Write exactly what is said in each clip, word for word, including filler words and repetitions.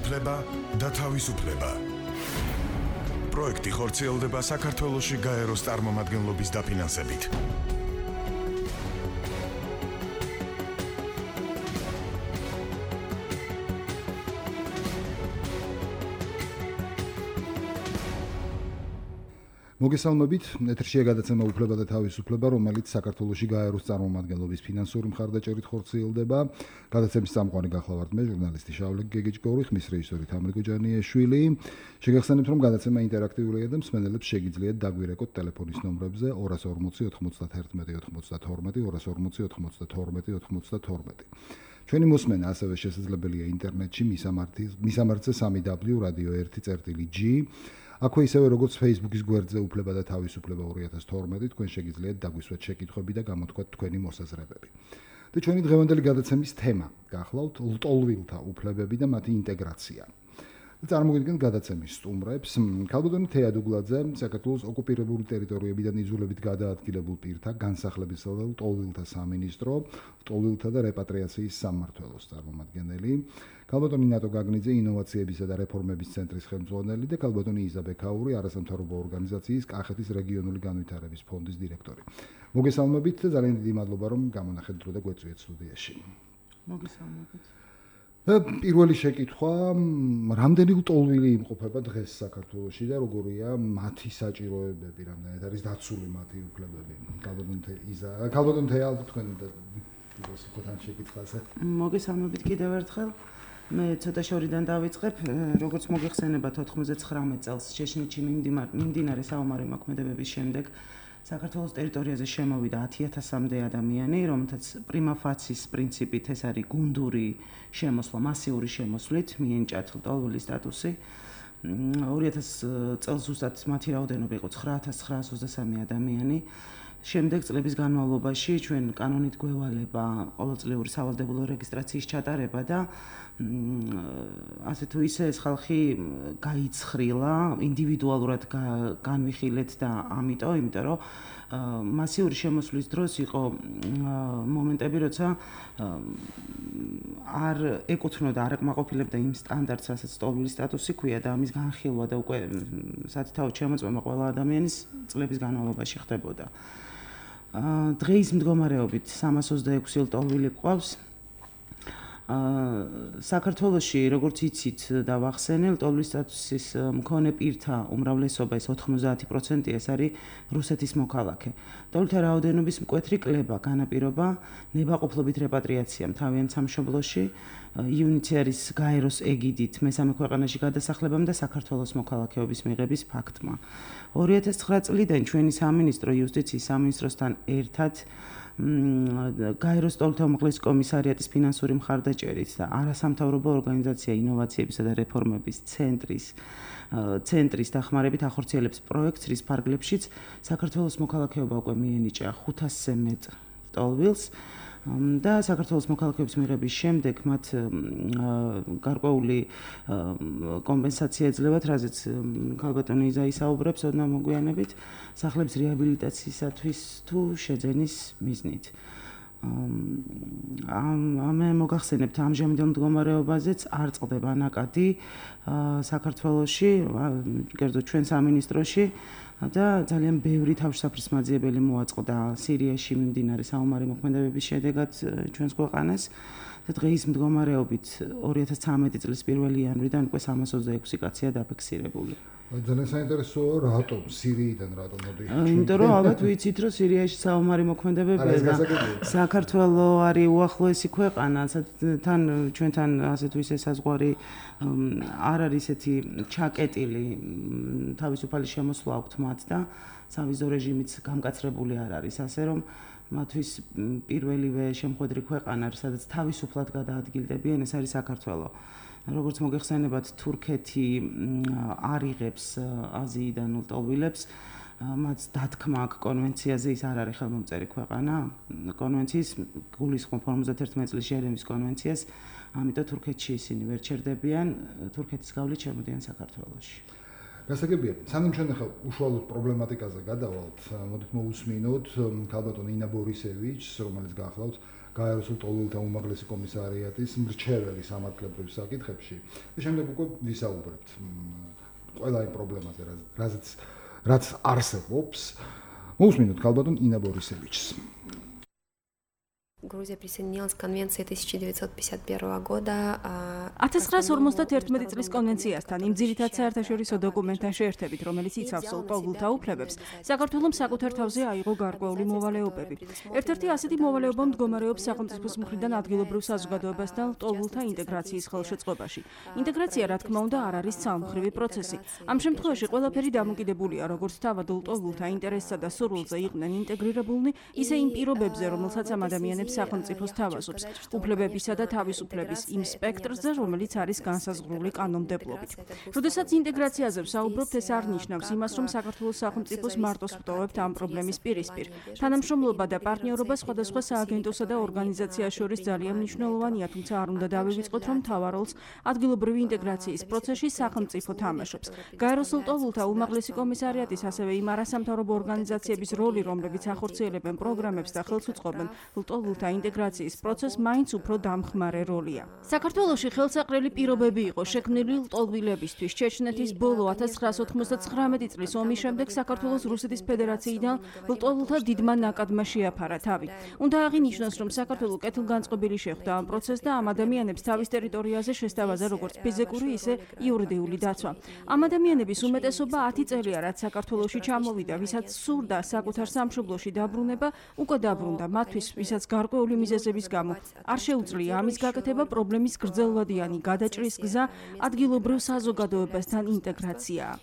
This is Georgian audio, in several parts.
უფლება და თავისუფლება. პროექტი ხორციელდება საქართველოში გაეროს წარმომადგენლობის დაფინანსებით. მოგესალმებით, ეთერშია გადაცემა უფლება და თავისუფლება, რომელიც საქართველოში გაეროს წარმომადგენლობის ფინანსური მხარდაჭერით ხორციელდება. გადაცემის წამყვანი გახლავართ მე, ჟურნალისტი შავლე გეგეჭკორი, ხმის რეჟისორი თამრი გოჯანიაშვილი. შეგახსენებთ, რომ გადაცემა ინტერაქტიულია და მსმენელებს შეგიძლიათ დაგვირეკოთ ტელეფონის ნომრებზე ორას ორმოცი ოთხმოცდათერთმეტი ოცდათორმეტი, ორას ორმოცი ოთხმოცდათორმეტი ოცდათორმეტი. ჩვენი მოსმენა ასევე შესაძლებელია ინტერნეტში მისამართზე სამი დაბლიუ რადიო ერთი წერტილი ჯი. აქვე ისევე როგორც Facebook-ის გვერდზე უფლება და თავისუფლება ორი ათას თორმეტი, თქვენ შეგიძლიათ დაგვისვათ შეკითხვები და გამოთქვათ თქვენი მოსაზრებები. და ჩვენი დღევანდელი გადაცემის თემა გახლავთ ლტოლვილთა უფლებები და მათი ინტეგრაცია. წარმოგიდგენთ გადაცემის სტუმრებს. ქალბატონი თეა დუგლაძე, საქართველოს ოკუპირებული ტერიტორიებიდან იზოლებით გადაადგილებულ პირთა განსახლებისა და ლტოლვილთა სამინისტრო, ლტოლვილთა და რეპატრიაციის სამმართველოს წარმომადგენელი. ქალბატონი ნატო გაგნიძე, ინოვაციებისა და რეფორმების ცენტრის ხელმძღვანელი და ქალბატონი იზა ბექაური, არასამთავრობო ორგანიზაციის კახეთის რეგიონული განვითარების ფონდის დირექტორი. მოგესალმებით და ძალიან დიდი მადლობა, რომ გამონახეთ დრო და გვეწვიეთ სტუდიაში. მოგესალმებით. პირველი შეკითხვა, რამდენი ლტოლვილი იმყოფება დღეს საქართველოში და როგორია მათი საჭიროებები, რამდენად არის დაცული მათი უფლებები? ქალბატონი იზა, ქალბატონი თეა, თქვენ გასუხოთ ამ შეკითხვაზე. მოგესალმებით კიდევ ერთხელ. მე ცოტა შორიდან დავიწყებ, როგორც მოგეხსენებათ ოთხმოცდათხრამეტ წელს შეშინეთში მიმდინარე საომარი მოქმედებების შემდეგ საქართველოს ტერიტორიაზე შემოვიდა ათი ათასამდე ადამიანი, რომელთაც პრიმა ფაცის პრინციპით ეს არის გუნდური შემოსვლა, მასიური შემოსვლით მიენიჭათ ლტოლვილის სტატუსი. ორი ათას წელს ზუსტად მათი რაოდენობა იყო ცხრა ათას ცხრაას ოცდასამი ადამიანი. შემდეგ წლების განმავლობაში ჩვენ კანონით გვევალება ყოველწლიური სავალდებულო რეგისტრაციის ჩატარება და ასე თუ ისე ეს ხალხი გაიცხრილა, ინდივიდუალურად განვიხილეთ და ამიტომ, იმიტომ რომ მასიური შემოსვლის დროს იყო მომენტები, როცა არ ეკუთვნოდა, არ აკმაყოფილებდა იმ სტანდარტს, რასაც ლტოლვილის სტატუსი ჰქვია და ამის განხილვა და უკვე სათითაოდ შემოწმება ყველა ადამიანის წლების განმავლობაში ხდებოდა. დღეის მდგომარეობით სამას ოცდაექვსი ლტოლვილი გვყავს. საქართველოში, როგორც იცით და ვახსენე, ლტოლვილის სტატუსის მქონე პირთა უმრავლესობა, ეს ოთხმოცდაათი პროცენტი, ეს არის რუსეთის მოქალაქე. ლტოლვილთა რაოდენობის მკვეთრი კლება განაპირობა ნებაყოფლობით რეპატრიაციამ თავიანთ სამშობლოში, იუნიცერის გაეროს ეგიდით მესამე ქვეყანაში გადასახლებამ და საქართველოს მოქალაქეობის მიღების ფაქტმა. ორი ათას ცხრა წლიდან ჩვენი სამინისტრო იუსტიციის სამინისტროსთან ერთად გაეროს ლტოლვილთა უმაღლესი კომისარიატის ფინანსური მხარდაჭერით და არასამთავრობო ორგანიზაცია ინოვაციებისა და რეფორმების ცენტრის ცენტრის დახმარებით ახორციელებს პროექტს, რის ფარგლებშიც საქართველოს მოქალაქეობა უკვე მიენიჭა ხუთასზე მეტ ლტოლვილს და საქართველოს მოქალაქეობის მიღების შემდეგ მათ გარკვეული კომპენსაცია ეძლევათ, რაზეც ქალბატონი იზა ისაუბრებს ოდნავ მოგვიანებით, სახლების რეაბილიტაციისათვის თუ შეძენის მიზნით. ამე მოგახსენებთ ამჟამინდელ მდგომარეობაზეც არ წყდება ნაკადი საქართველოში, კერძოდ ჩვენ სამინისტროში და ძალიან ბევრი თავშესაფრის მაძიებელი მოაწყდა სირიაში მიმდინარე საომარი მოქმედებების შედეგად ჩვენს ქვეყანას და დღეის მდგომარეობით ორი ათას ცხრამეტი წლის პირველი იანვრიდან უკვე სამას ოცდაექვსი კაცია დაფიქსირებული. ძალიან საინტერესოა, რატომ სირიიდან რატომ მოდი? იმიტომ რომ ალბათ ვიცით, რომ სირიაში საომარი მოქმედებებია და საქართველო არის უახლოესი ქვეყანა, თან ჩვენთან ასე თუ ისე საზღვარი არ არის ესეთი ჩაკეტილი, თავისუფალი შემოსვლა აქვთ მათ და სავიზო რეჟიმიც გამკაცრებული არ არის, ასე რომ მათთვის პირველივე შემხვედრი ქვეყანა, სადაც თავისუფლად გადაადგილდებიან, ეს არის საქართველო. როგორც მოგეხსენებათ, თურქეთი არ იღებს აზიიდან ლტოლვილებს, მათ დათქმა აქ კონვენციაზე, ის არ არის ხელმომწერი ქვეყანა კონვენციის, გულისხმობ ორმოცდაერთმეტი წლის ჟენევის კონვენციას, ამიტომ თურქეთში ისინი ვერ ჩერდებიან, თურქეთის გავლით შემოდიან საქართველოში. გასაგებია, სანამ ჩვენ ახლა უშუალოდ პრობლემატიკაზე გადავალთ, მოდით მოусმინოთ ქალბატონ ინა ბორისევიჩს, რომელიც გახლავთ გაეროს ლტოლვილთა უმაღლესი კომისარიატის მრჩეველი სამართლებრივ საკითხებში და შემდეგ უკვე ვისაუბრებთ ყველა იმ პრობლემაზე, რაც რაც არსებობს. Მოусმინოთ ქალბატონ ინა ბორისევიჩს. Грузия присоединилась к конвенции тысяча девятьсот пятьдесят первого года. ათას ცხრაას ორმოცდაერთმეტი წლის კონვენციასთან იმ ძირითად საერთაშორისო დოკუმენტთან შეერთებით, რომელიც იცავს ლტოლვილთა უფლებებს, საქართველოს საკუთარ თავზე აიღო გარკვეული მოვალეობები. ერთ-ერთი ასეთი მოვალეობა მდგომარეობს სახელმწიფოს მხრიდან ადგილობრივ საზოგადოებასთან ლტოლვილთა ინტეგრაციის ხელშეწყობაში. ინტეგრაცია, რა თქმა უნდა, არ არის ძალმხრივი პროცესი. ამ შემთხვევაში ყველაფერი დამოკიდებულია როგორც თავად ლტოლვილთა ინტერესსა და სურვილზე იყვნენ ინტეგრირებულნი, ისე იმ პირობებზე, რომელსაც ამ ადამიანებს სახელმწიფოს თავაზობს, უფლებებისა და თავისუფლების იმ სპექტრზე, რომელიც არის განსაზღვრული კანონმდებლობით. როდესაც ინტეგრაციაზე ვსაუბრობთ, ეს არ ნიშნავს იმას, რომ საქართველოს სახელმწიფოს მარტოს ვტოვებთ ამ პრობლემის პირისპირ. თანამშრომლობა და პარტნიორობა სხვადასხვა სააგენტოსა და ორგანიზაციას შორის ძალიან მნიშვნელოვანია, თუმცა არ უნდა დავივიწყოთ, რომ მთავარ როლს ადგილობრივი ინტეგრაციის პროცესში სახელმწიფო თამაშობს. გაეროს ლტოლვილთა უმაღლესი კომისარიატის, ასევე იმ არასამთავრობო ორგანიზაციების როლი, რომლებიც ახორციელებენ პროგრამებს და ხელს უწყობენ ლტოლვილთა ინტეგრაციის პროცესს, მაინც უფრო დამხმარე როლია. საქართველოში ხელსაყრელი პირობები იყო შექმნილი ლტოლვილებისთვის. ჩეჩნეთის ბოლო ათას ცხრაას ოთხმოცდათხრამეტი წლის ომის შემდეგ საქართველოს რუსეთის ფედერაციიდან ლტოლვილთა დიდმა ნაკადმა შეაფარა თავი. უნდა აღინიშნოს, რომ საქართველო კეთილგანწყობილი შეხვდა ამ პროცესს და ამ ადამიანებს თავის ტერიტორიაზე შესთავაზა როგორც ფიზიკური, ისე იურიდიული დაცვა. ამ ადამიანების უმეტესობა ათი წელია, რაც საქართველოში ჩამოვიდა, ვისაც სურდა საკუთარ სამშობლოში დაბრუნება, უკვე დაბრუნდა. მათთვის, ვისაც გარკვეული მიზეზების გამო არ შეუძლია ამის გაკეთება, პრობლემის გრძელვადიანი გადაჭრის გზა ადგილობრივ საზოგადოებასთან ინტეგრაციაა.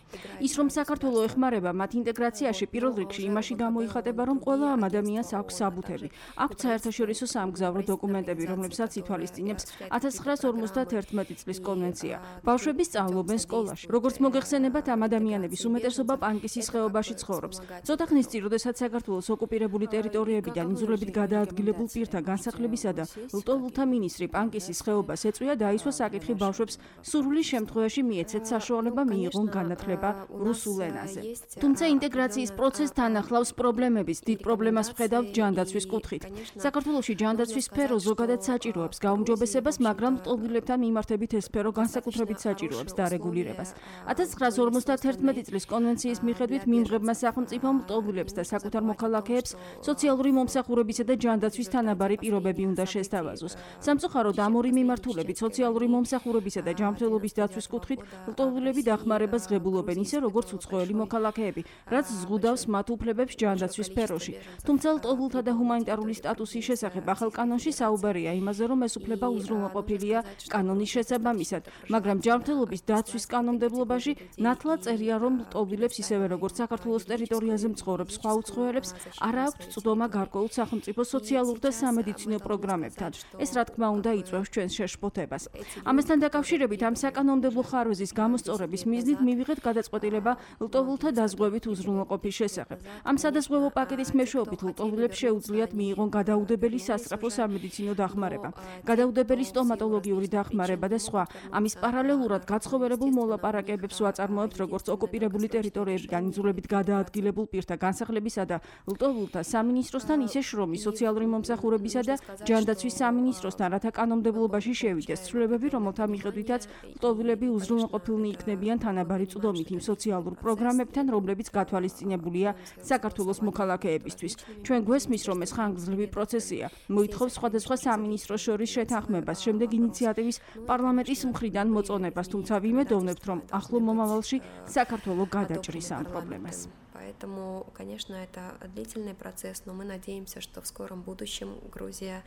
ის, რომ საქართველო ეხმარება მათ ინტეგრაციაში, პირველ რიგში იმაში გამოიხატება, რომ ყველა ამ ადამიანს აქვს საბუთები. აქვს საერთაშორისო სამგზავრო დოკუმენტები, რომლებსაც ითვალისწინებს ათას ცხრაას ორმოცდაათერთმეტი წლის კონვენცია. ბავშვები სწავლობენ სკოლაში. როგორც მოგეხსენებათ, ამ ადამიანების უმეტესობა პანკისის ხეობაში ცხოვრობს. ცოტა ხნის წინ, როდესაც საქართველოს ოკუპირებული ტერიტორიებიდან იძულებით გადაადგილებულ პირთა განსახლებისა და ლტოლვილთა მინისტრი პანკისის ხეობას ეწვია, დაისვა საკითხი ბავშვებს სურვილის შემთხვევაში მიეცეთ საშუალება მიიღონ განათლება რუსულ ენაზე. თუმცა ინტეგრაციის პროცესს თან ახლავს პრობლემების დიდ პრობლემას ვხედავთ ჯანდაცვის კუთხით. საქართველოში ჯანდაცვის სფერო ზოგადად საჭიროებს გაუმჯობესებას, მაგრამ ლტოლვილებთან მიმართებით ეს სფერო განსაკუთრებით საჭიროებს დარეგულირებას. ათას ცხრაას ორმოცდაათერთმეტი წლის კონვენციის მიხედვით მიმღებმა სახელმწიფომ ლტოლვილებს და საკუთარ მოქალაქეებს სოციალური მომსახურებისა და ჯანდაცვის თანაბარი პირობები უნდა შესთავაზოს. სამწუხაროდ, ამ ორი მიმართულებით სოციალური მომსახურებისა და ჯანმრთელობის დაცვის კუთხით ლტოლვილები დახმარებას ღებულობენ ისე, როგორც უცხოელი მოქალაქეები, რაც ზღუდავს მათ უფლებებს ჯანდაცვის სფეროში. თუმცა ლტოლვილთა და ჰუმანიტარული სტატუსის შესახებ ახალ კანონში საუბარია იმაზე, რომ ეს უფლება უზრუნველყოფილია კანონის შესაბამისად, მაგრამ ჯანმრთელობის დაცვის კანონმდებლობაში ნათლად წერია, რომ ლტოლვილებს ისევე როგორც საქართველოს ტერიტორიაზე მცხოვრებ სხვა უცხოელებს არ აქვთ წვდომა გარკვეულ სახელმწიფო სოციალურ და სამედიცინო პროგრამებთან. ეს რა თქმა უნდა იწვევს ჩვენს შეშფოთებას. ამასთან დაკავშირებით ამ საკანონმდებლო ხარვეზის გამოსწორების მიზნით მივიღეთ გადაწყვეტილება ლტოლვილთა დაზღვევით უზრუნველყოფის შესახებ. ამ სადაზღვევო პაკეტის მეშვეობით ლტოლვილებს შეუძლიათ მიიღონ გადაუდებელი სასწრაფო სამედიცინო დახმარება, გადაუდებელი სტომატოლოგიური დახმარება და სხვა. ამის პარალელურად გაცხოვერებულ მოლაპარაკებებს ვაწარმოებთ როგორც ოკუპირებული ტერიტორიებიდან იძულებით გადაადგილებულ პირთა განსახლებისა და ლტოლვილთა სამინისტროსთან, ისე შრომის, სოციალური მომსახურებისა და ჯანდაცვის სამინისტროსთან, რათა კანონმდებლობაში შევიდეს ცვლილებები, რომელთა მიხედვითაც ლტოლვილები უზრუნველყოფილნი იქნებიან თანაბარი წვდომით იმ სოციალურ პროგრამებთან, რომლებიც გათვალისწინებულია საქართველოს მოქალაქეებისთვის. ჩვენ გვესმის, რომ ეს ხანგრძლივი პროცესია. მოითხოვს სხვადასხვა სამინისტროს შორის შეთანხმებას, შემდეგ ინიციატივის პარლამენტის მხრიდან მოწონებას, თუმცა ვიმედოვნებთ, რომ ახლო მომავალში საქართველო გადაჭრის ამ პრობლემას. Поэтому, конечно, это длительный процесс, но мы надеемся, что в скором будущем Грузия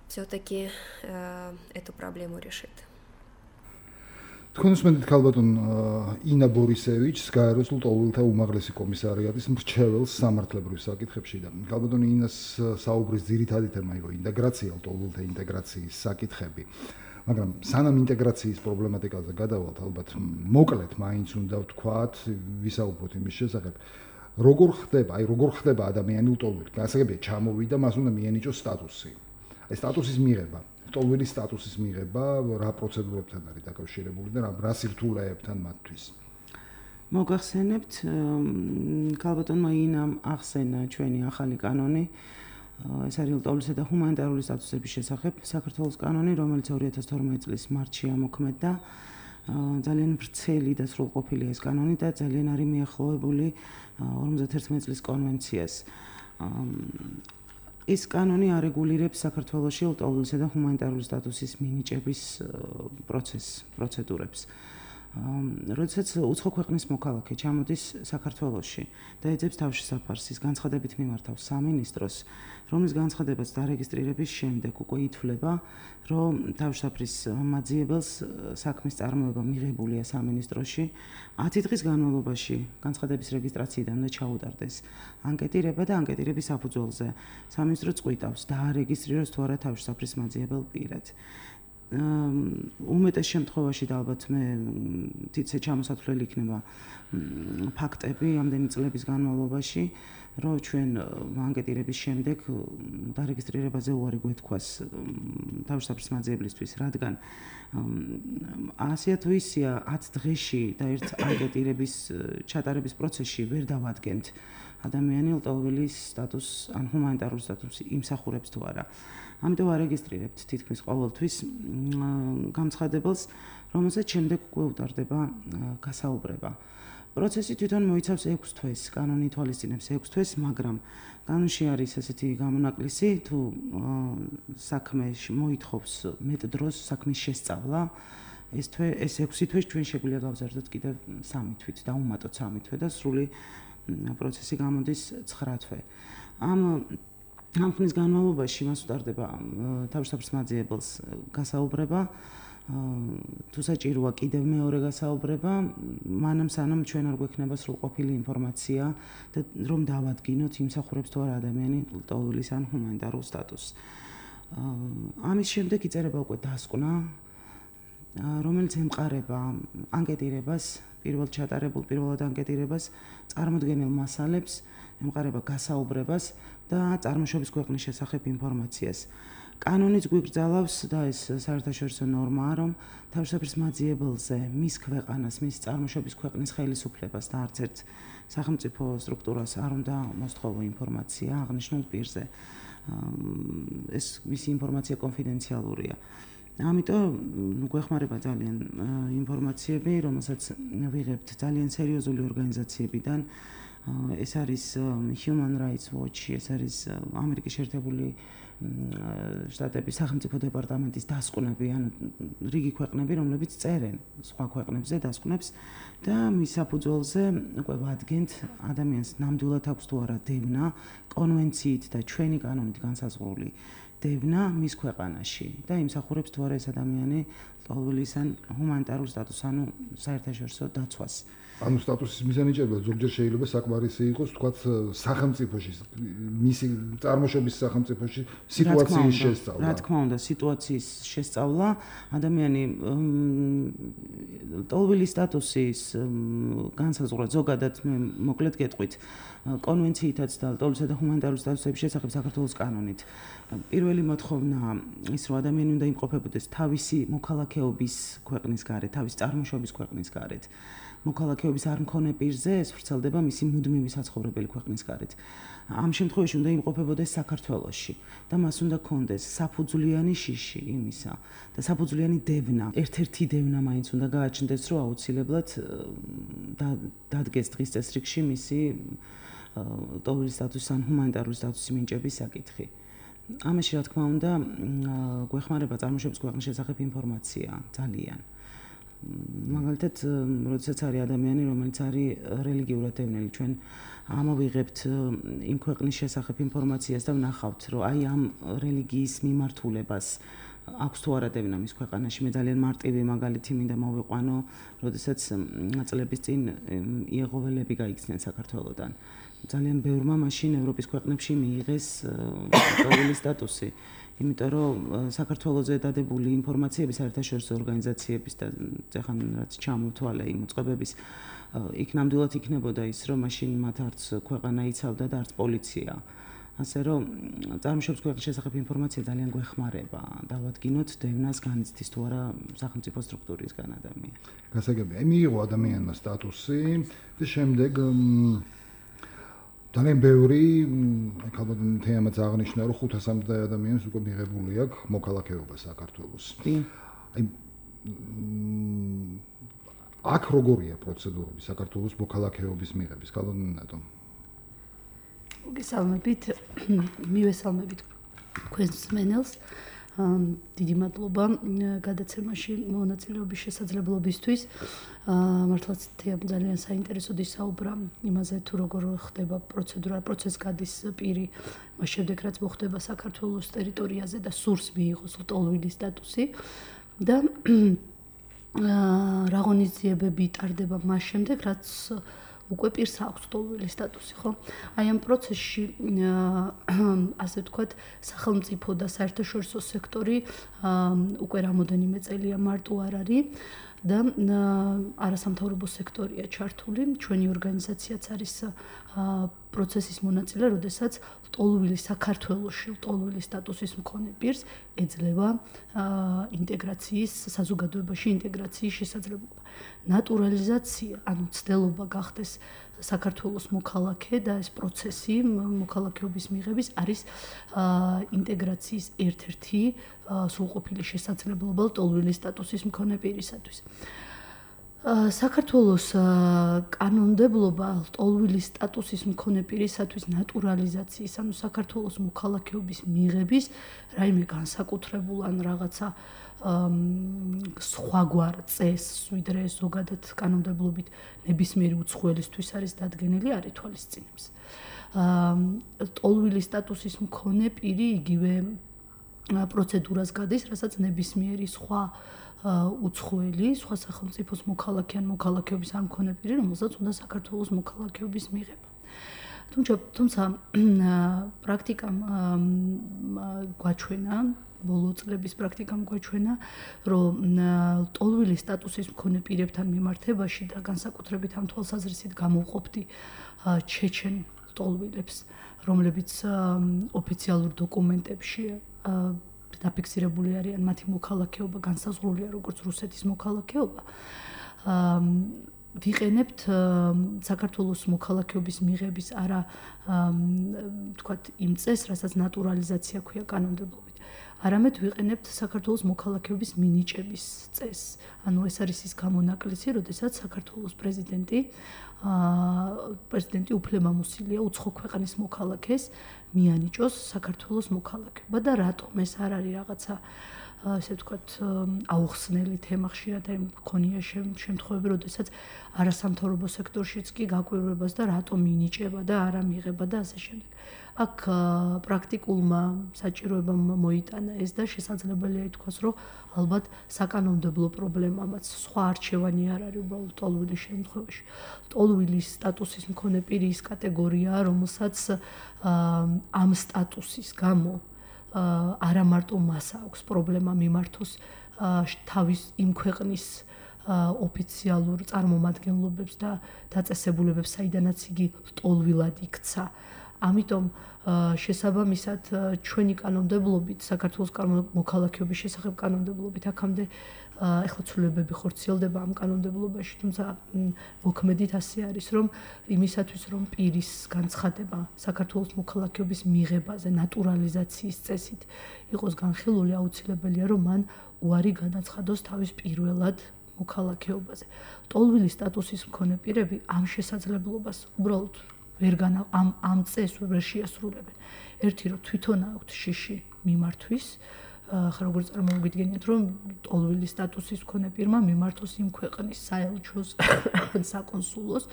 все-таки э, эту проблему решит. თქვენ უსმენთ ქალბატონ ინა ბორისევიჩს, გაეროს ლტოლვილთა უმაღლესი კომისარიატის მრჩეველს სამართლებრივ საკითხებში და ქალბატონ ინას საუბრის ძირითადი თემა იყო ინტეგრაცია, ლტოლვილთა ინტეგრაციის საკითხები. მაგრამ სანამ ინტეგრაციის პრობლემატიკაზე გადავალთ, ალბათ მოკლედ მაინც უნდა ვთქვათ, ვისაუბროთ იმის შესახებ, როგორ ხდება, აი როგორ ხდება ადამიანი ლტოლვილი. გასაგებია, ჩამოვიდა, მას უნდა მიენიჭოს სტატუსი. აი სტატუსის მიღება, ლტოლვილის სტატუსის მიღება რა პროცედურებთან არის დაკავშირებული და რა სირთულეებთან მათთვის. მოგახსენებთ, ქალბატონმა ინამ ახსენა ჩვენი ახალი კანონი, ეს არის ლტოლვისა და ჰუმანიტარული სტატუსების შესახებ საქართველოს კანონი, რომელიც ორი ათას თორმეტი წლის მარტში ამოქმედდა. ძალიან ვრცელი და სრულყოფილია ეს კანონი და ძალიან არის მიახლოვებული ორმოცდაათი წლის კონვენციას. ეს კანონი არეგულირებს საქართველოში ლტოლვილისა და ჰუმანიტარული სტატუსის მინიჭების პროცესს, პროცედურებს. როდესაც უცხო ქვეყნის მოქალაქე ჩამოდის საქართველოში და ეძებს თავშესაფარს, ის განცხადებით მიმართავს სამინისტროს, რომლის განცხადებაც დარეგისტრირების შემდეგ უკვე ითვლება, რომ თავშესაფრის მაძიებელს საქმის წარმოება მიღებულია სამინისტროში, ათი დღის განმავლობაში განცხადების რეგისტრაციიდან უნდა ჩაუტარდეს ანკეტირება და ანკეტირების საფუძველზე სამინისტრო წყვიტავს დაარეგისტრიროს თუ არა თავშესაფრის მაძიებელ პირად. უმეტეს შემთხვევაში და ალბათ მე თითქოს ჩამოსათვლელი იქნება ფაქტები ამდენი წლების განმავლობაში, რომ ჩვენ ანკეტირების შემდეგ დარეგისტრირებაზე უარი გვეთქვას თავშესაფრის მაძიებლისთვის, რადგან ასეა თუ ისეა ათ დღეში და ერთ ანკეტირების ჩატარების პროცესში ვერ დავადგენთ ადამიანი ლტოლვილის სტატუსს ან ჰუმანიტარული სტატუსი იმსახურებს თუ არა. ამიტომ არეგისტრირებთ თითქმის ყოველთვის განცხადებელს, რომელსაც შემდეგ უკვე უტარდება გასაუბრება. პროცესი თვითონ მოიცავს ექვს თვეს, კანონი ითვალისწინებს ექვს თვეს, მაგრამ კანონში არის ესეთი გამონაკლისი, თუ საქმე მოითხოვს მეტ დროს საქმის შესწავლა, ეს თვე ეს ექვსი თვე ჩვენ შეგვიძლია გავზარდოთ კიდევ სამი თვით, დავუმატოთ სამი თვე და სრული პროცესი გამოდის ცხრა თვე. ამ ამ ხნის განმავლობაში მას უტარდება თავშესაფრის მაძიებელს გასაუბრება, თუ საჭიროა კიდევ მეორე გასაუბრება, მანამ სანამ ჩვენ არ გვექნება სრულყოფილი ინფორმაცია და რომ დავადგინოთ იმსახურებს თუ არა ადამიანი ლტოლვილის ან ჰუმანიტარულ სტატუსს. ამის შემდეგ იწერება უკვე დასკვნა, რომელიც ემყარება ანკეტირებას, პირველ ჩატარებულ პირველად ანკეტირებას, წარმოდგენილ მასალებს, ემყარება გასაუბრებას და წარმოშობის ქვეყნის შესახებ ინფორმაციას. კანონიც გვიგრძელავს და ეს საერთაშორისო ნორმაა, რომ თავშესაფრის მაძიებელზე მის ქვეყანას, მის წარმოშობის ქვეყნის ხელისუფლებას და არც ერთ სახელმწიფო სტრუქტურას არ უნდა მოსთხოვო ინფორმაცია აღნიშნულ პირზე. ეს მისი ინფორმაცია კონფიდენციალურია. ამიტომ გვეხმარება ძალიან ინფორმაციები, რომელსაც ვიღებთ ძალიან სერიოზული ორგანიზაციებიდან. ეს არის Human Rights Watch, ეს არის ამერიკის შეერთებული შტატების სახელმწიფო დეპარტამენტის დასკვნები, ანუ რიგი ქვეყნები, რომლებიც წერენ სხვა ქვეყნებზე დასკვნებს და მის საფუძველზე უკვე ვადგენთ ადამიანს ნამდვილად აქვს თუ არა დევნა კონვენციით და ჩვენი კანონით განსაზღვრული დევნა მის ქვეყანაში და იმსახურებს თუ არა ეს ადამიანი ლტოლვილის ან ჰუმანიტარულ სტატუსს, ანუ საერთაშორისო დაცვას. ანუ სტატუსის მიზანიჭება ზოგჯერ შეიძლება საკმარისი იყოს, თქვათ, სახელმწიფოში, მისი წარმოშობის სახელმწიფოში სიტუაციის შესწავლა. რა თქმა უნდა, სიტუაციის შესწავლა, ადამიანი ლტოლვილის სტატუსის განსაზღვრა ზოგადად მე მოკლედ გეტყვით, კონვენციითაც და ლტოლვილისა და ჰუმანიტარული სტატუსების შესახებ საქართველოს კანონით. პირველი მოთხოვნა ის, რომ ადამიანი უნდა იმყოფებოდეს თავისი მოქალაქეობის ქვეყნის გარეთ, თავისი წარმოშობის ქვეყნის გარეთ. მოქალაქეობის არ მქონე პირზე ეს ვრცელდება მისი მუდმივი საცხოვრებელი ქვეყნის გარეთ. ამ შემთხვევაში უნდა იმყოფებოდეს საქართველოში და მას უნდა ქონდეს საფუძვლიანი შიში იმისა და საფუძვლიანი დევნა. ერთ-ერთი დევნა მაინც უნდა გააჩნდეს, რომ აუცილებლად დადგეს დღის წესრიგში მისი ლტოლვილის სტატუსის ან ჰუმანიტარული სტატუსის მინიჭების საკითხი. ამაში რა თქმა უნდა გვეხმარება წარმოშობის ქვეყნის შესახებ ინფორმაცია ძალიან. მაგალითად, როდესაც არის ადამიანი, რომელიც არის რელიგიურად დევნილი, ჩვენ ამოვიღებთ იმ ქვეყნის შესახებ ინფორმაციას და ვნახავთ, რომ აი ამ რელიგიის მიმართულებას აქვს თუ არა დევნა მის ქვეყანაში. მე ძალიან მარტივი მაგალითი მინდა მოვიყვანო, როდესაც წლების წინ იეღოველები გაიქცნენ საქართველოდან. ძალიან ბევრმა მაშინ ევროპის ქვეყნებში მიიღეს ლტოლვილის სტატუსი. იმიტომ რომ საქართველოზე დადებული ინფორმაციები საერთაშორისო ორგანიზაციების და ეხლა რაც ჩამოთვალე იმ უწყებების იქ ნამდვილად იქნებოდა ის, რომ მაშინ მათ არც ქვეყანა იცავდა და არც პოლიცია. ასე რომ წარმოშობის ქვეყნის შესახებ ინფორმაცია ძალიან გვეხმარება. დავადგინოთ დევნას განიცდის თუ არა სახელმწიფო სტრუქტურისგან ადამიანი. გასაგებია. აი მიიღო ადამიანმა სტატუსი და შემდეგ ძალიან ბევრი, აი ალბათ თემაც აღნიშნა, რომ ხუთასამდე ადამიანს უკვე მიღებული აქვს მოქალაქეობა საქართველოს. აი აქ როგორია პროცედურები საქართველოს მოქალაქეობის მიღების, კალონატო? მოგესალმებით, მივესალმებით თქვენს მსმენელს. დიდი მადლობა გადაცემაში მონაწილეობის შესაძლებლობისთვის. მართლაც თეამ ძალიან საინტერესო ისაუბრა იმაზე, თუ როგორ ხდება პროცედურა, პროცესს გადის პირი, მას შემდეგ რაც მოხდება საქართველოს ტერიტორიაზე და სურს მიიღოს ლტოლვილის სტატუსი და რა ღონისძიებები ტარდება მას შემდეგ, რაც უკვე პირს აქვს ლტოლვილის სტატუსი, ხო? აი ამ პროცესში ასე ვთქვათ, სახელმწიფო და საერთაშორისო სექტორი უკვე რამოდენიმე წელია მარტო არ არის და არასამთავრობო სექტორია ჩართული. ჩვენი ორგანიზაციაც არის პროცესის მონაწილე, როდესაც ლტოლვილი საქართველოში ლტოლვილის სტატუსის მქონე პირს ეძლევა ინტეგრაციის, საზოგადოებაში ინტეგრაციის შესაძლებლობა. ნატურალიზაცია, ანუ ცდელობა გახდეს საქართველოს მოქალაქე და ეს პროცესი მოქალაქეობის მიღების არის ინტეგრაციის ერთ-ერთი სრულყოფილი შესაძლებლობა ლტოლვილის სტატუსის მქონე პირისათვის. საქართველოს კანონმდებლობა ლტოლვილის სტატუსის მქონე პირისათვის ნატურალიზაციის, ანუ საქართველოს მოქალაქეობის მიღების რაიმე განსაკუთრებულ ან რაღაცა სხვაგვარ წესს, ვიდრე ზოგადად კანონმდებლობით ნებისმიერი უცხოელისთვის არის დადგენილი, არ ითვალისწინებს. ლტოლვილის სტატუსის მქონე პირი იგივე პროცედურას გადის, რასაც ნებისმიერი სხვა უცხოელი, სხვა სახელმწიფოს მოქალაქე ან მოქალაქეობის არ მქონე პირი, რომელსაც უნდა საქართველოს მოქალაქეობის მიღება. თუმცა თუმცა პრაქტიკამ გვაჩვენა, ბოლო წლების პრაქტიკამ გვაჩვენა, რომ ლტოლვილის სტატუსის მქონე პირებთან მიმართებაში და განსაკუთრებით ამ თვალსაზრისით გამოვყოფდი ჩეჩენ ლტოლვილებს, რომლებიც ოფიციალურ დოკუმენტებში დაფიქსირებული არიან, მათი მოქალაქეობა განსაზღვრულია როგორც რუსეთის მოქალაქეობა. ვიყენებთ საქართველოს მოქალაქეობის მიღების არა ვთქვათ იმ წესს, რასაც ნატურალიზაცია ქვია კანონმდებლობით. არამედ ვიყენებთ საქართველოს მოქალაქეობის მინიჭების წესს. ანუ ეს არის ის გამონაკლისი, როდესაც საქართველოს პრეზიდენტი პრეზიდენტი უფლებამოსილია უცხო ქვეყნის მოქალაქეს მიანიჭოს საქართველოს მოქალაქეობა და რატომ ეს არ არის რაღაცა ასე ვთქვათ აუხსნელი თემა, ხშირად აი მქონია შემთხვევები, როდესაც არასამთავრობო სექტორშიც კი გაკვირვებას და რატომ მინიჭება და არა მიღება და ასე შემდეგ. აქ პრაქტიკულმა საჭიროებამ მოიტანა ეს და შესაძლებელია ითქვას, რომ ალბათ საკანონმდებლო პრობლემამაც სხვა არჩევანი არ არის უბრალოდ ლტოლვილის შემთხვევაში. ლტოლვილის სტატუსის მქონე პირი ის კატეგორიაა, რომელსაც ამ სტატუსის გამო არა მარტო მას აქვს პრობლემა მიმართოს თავის იმ ქვეყნის ოფიციალურ წარმომადგენლობებს და დაწესებულებებს, საიდანაც იგი ლტოლვილად იქცა. ამიტომ შესაბამისად ჩვენი კანონმდებლობით, საქართველოს მოქალაქეობის შესახებ კანონმდებლობით აქამდე ეხლა ცვლილებები ხორციელდება ამ კანონმდებლობაში, თუმცა მოქმედით ასე არის, რომ იმისათვის, რომ პირის განცხადება საქართველოს მოქალაქეობის მიღებაზე ნატურალიზაციის წესით იყოს განხილული, აუცილებელია, რომ მან უარი განაცხადოს თავის პირველად მოქალაქეობაზე. ლტოლვილის სტატუსის მქონე პირები ამ შესაძლებლობას უბრალოდ ვერ განა ამ ამ წესს ვერ შეასრულებენ. ერთი რომ თვითონ აქვთ შიში მიმართვის, ხა როგორ წარმოვიდგენიათ, რომ ლტოლვილის სტატუსის მქონე პირმა მიმართოს იმ ქვეყნის საელჩოს ან საკონსულოს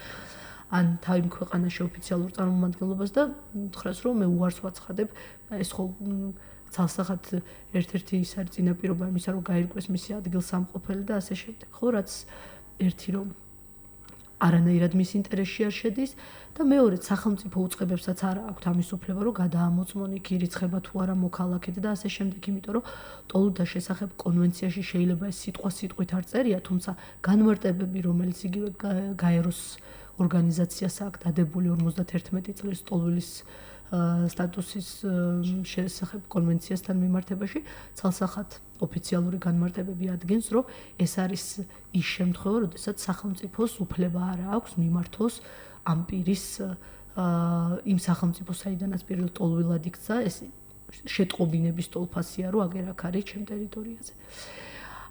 ან თავი ქვეყანაში ოფიციალურ წარმომადგენლობას და უთხრას, რომ მე უარს ვაცხადებ, ეს ხო ცალსახად ერთ-ერთი ის არის წინაპირობა იმისა, რომ გაირკვეს მისი ადგილსამყოფელი და ასე შემდეგ. ხო, რაც ერთი რომ არანაირად მის ინტერესში არ შედის და მეორედ სახელმწიფო უწყებებსაც არ აქვს ამის უფლება, რომ გადაამოწმონ იქ ირიცხება თუ არა მოქალაქედ და ასე შემდეგ, იმიტომ რომ ლტოლვილთა შესახებ კონვენციაში შეიძლება ეს სიტყვა სიტყვით არ წერია, თუმცა განმარტებები, რომელიც იგივე გაეროს ორგანიზაციას აქვს დადებული ორმოცდაერთმეტი წლის ლტოლვილის სტატუსის შესახებ კონვენციასთან მიმართებაში, ცალსახად ოფიციალური განმარტებები ადგენს, რომ ეს არის ის შემთხვევა, როდესაც სახელმწიფოს უფლება არ აქვს მიმართოს ამ პირის იმ სახელმწიფო საიდანაც პირველ ტოლვილად იქცა, ეს შეტყობინების ტოლფასია, რომ აგერ აქ არის ჩემ ტერიტორიაზე.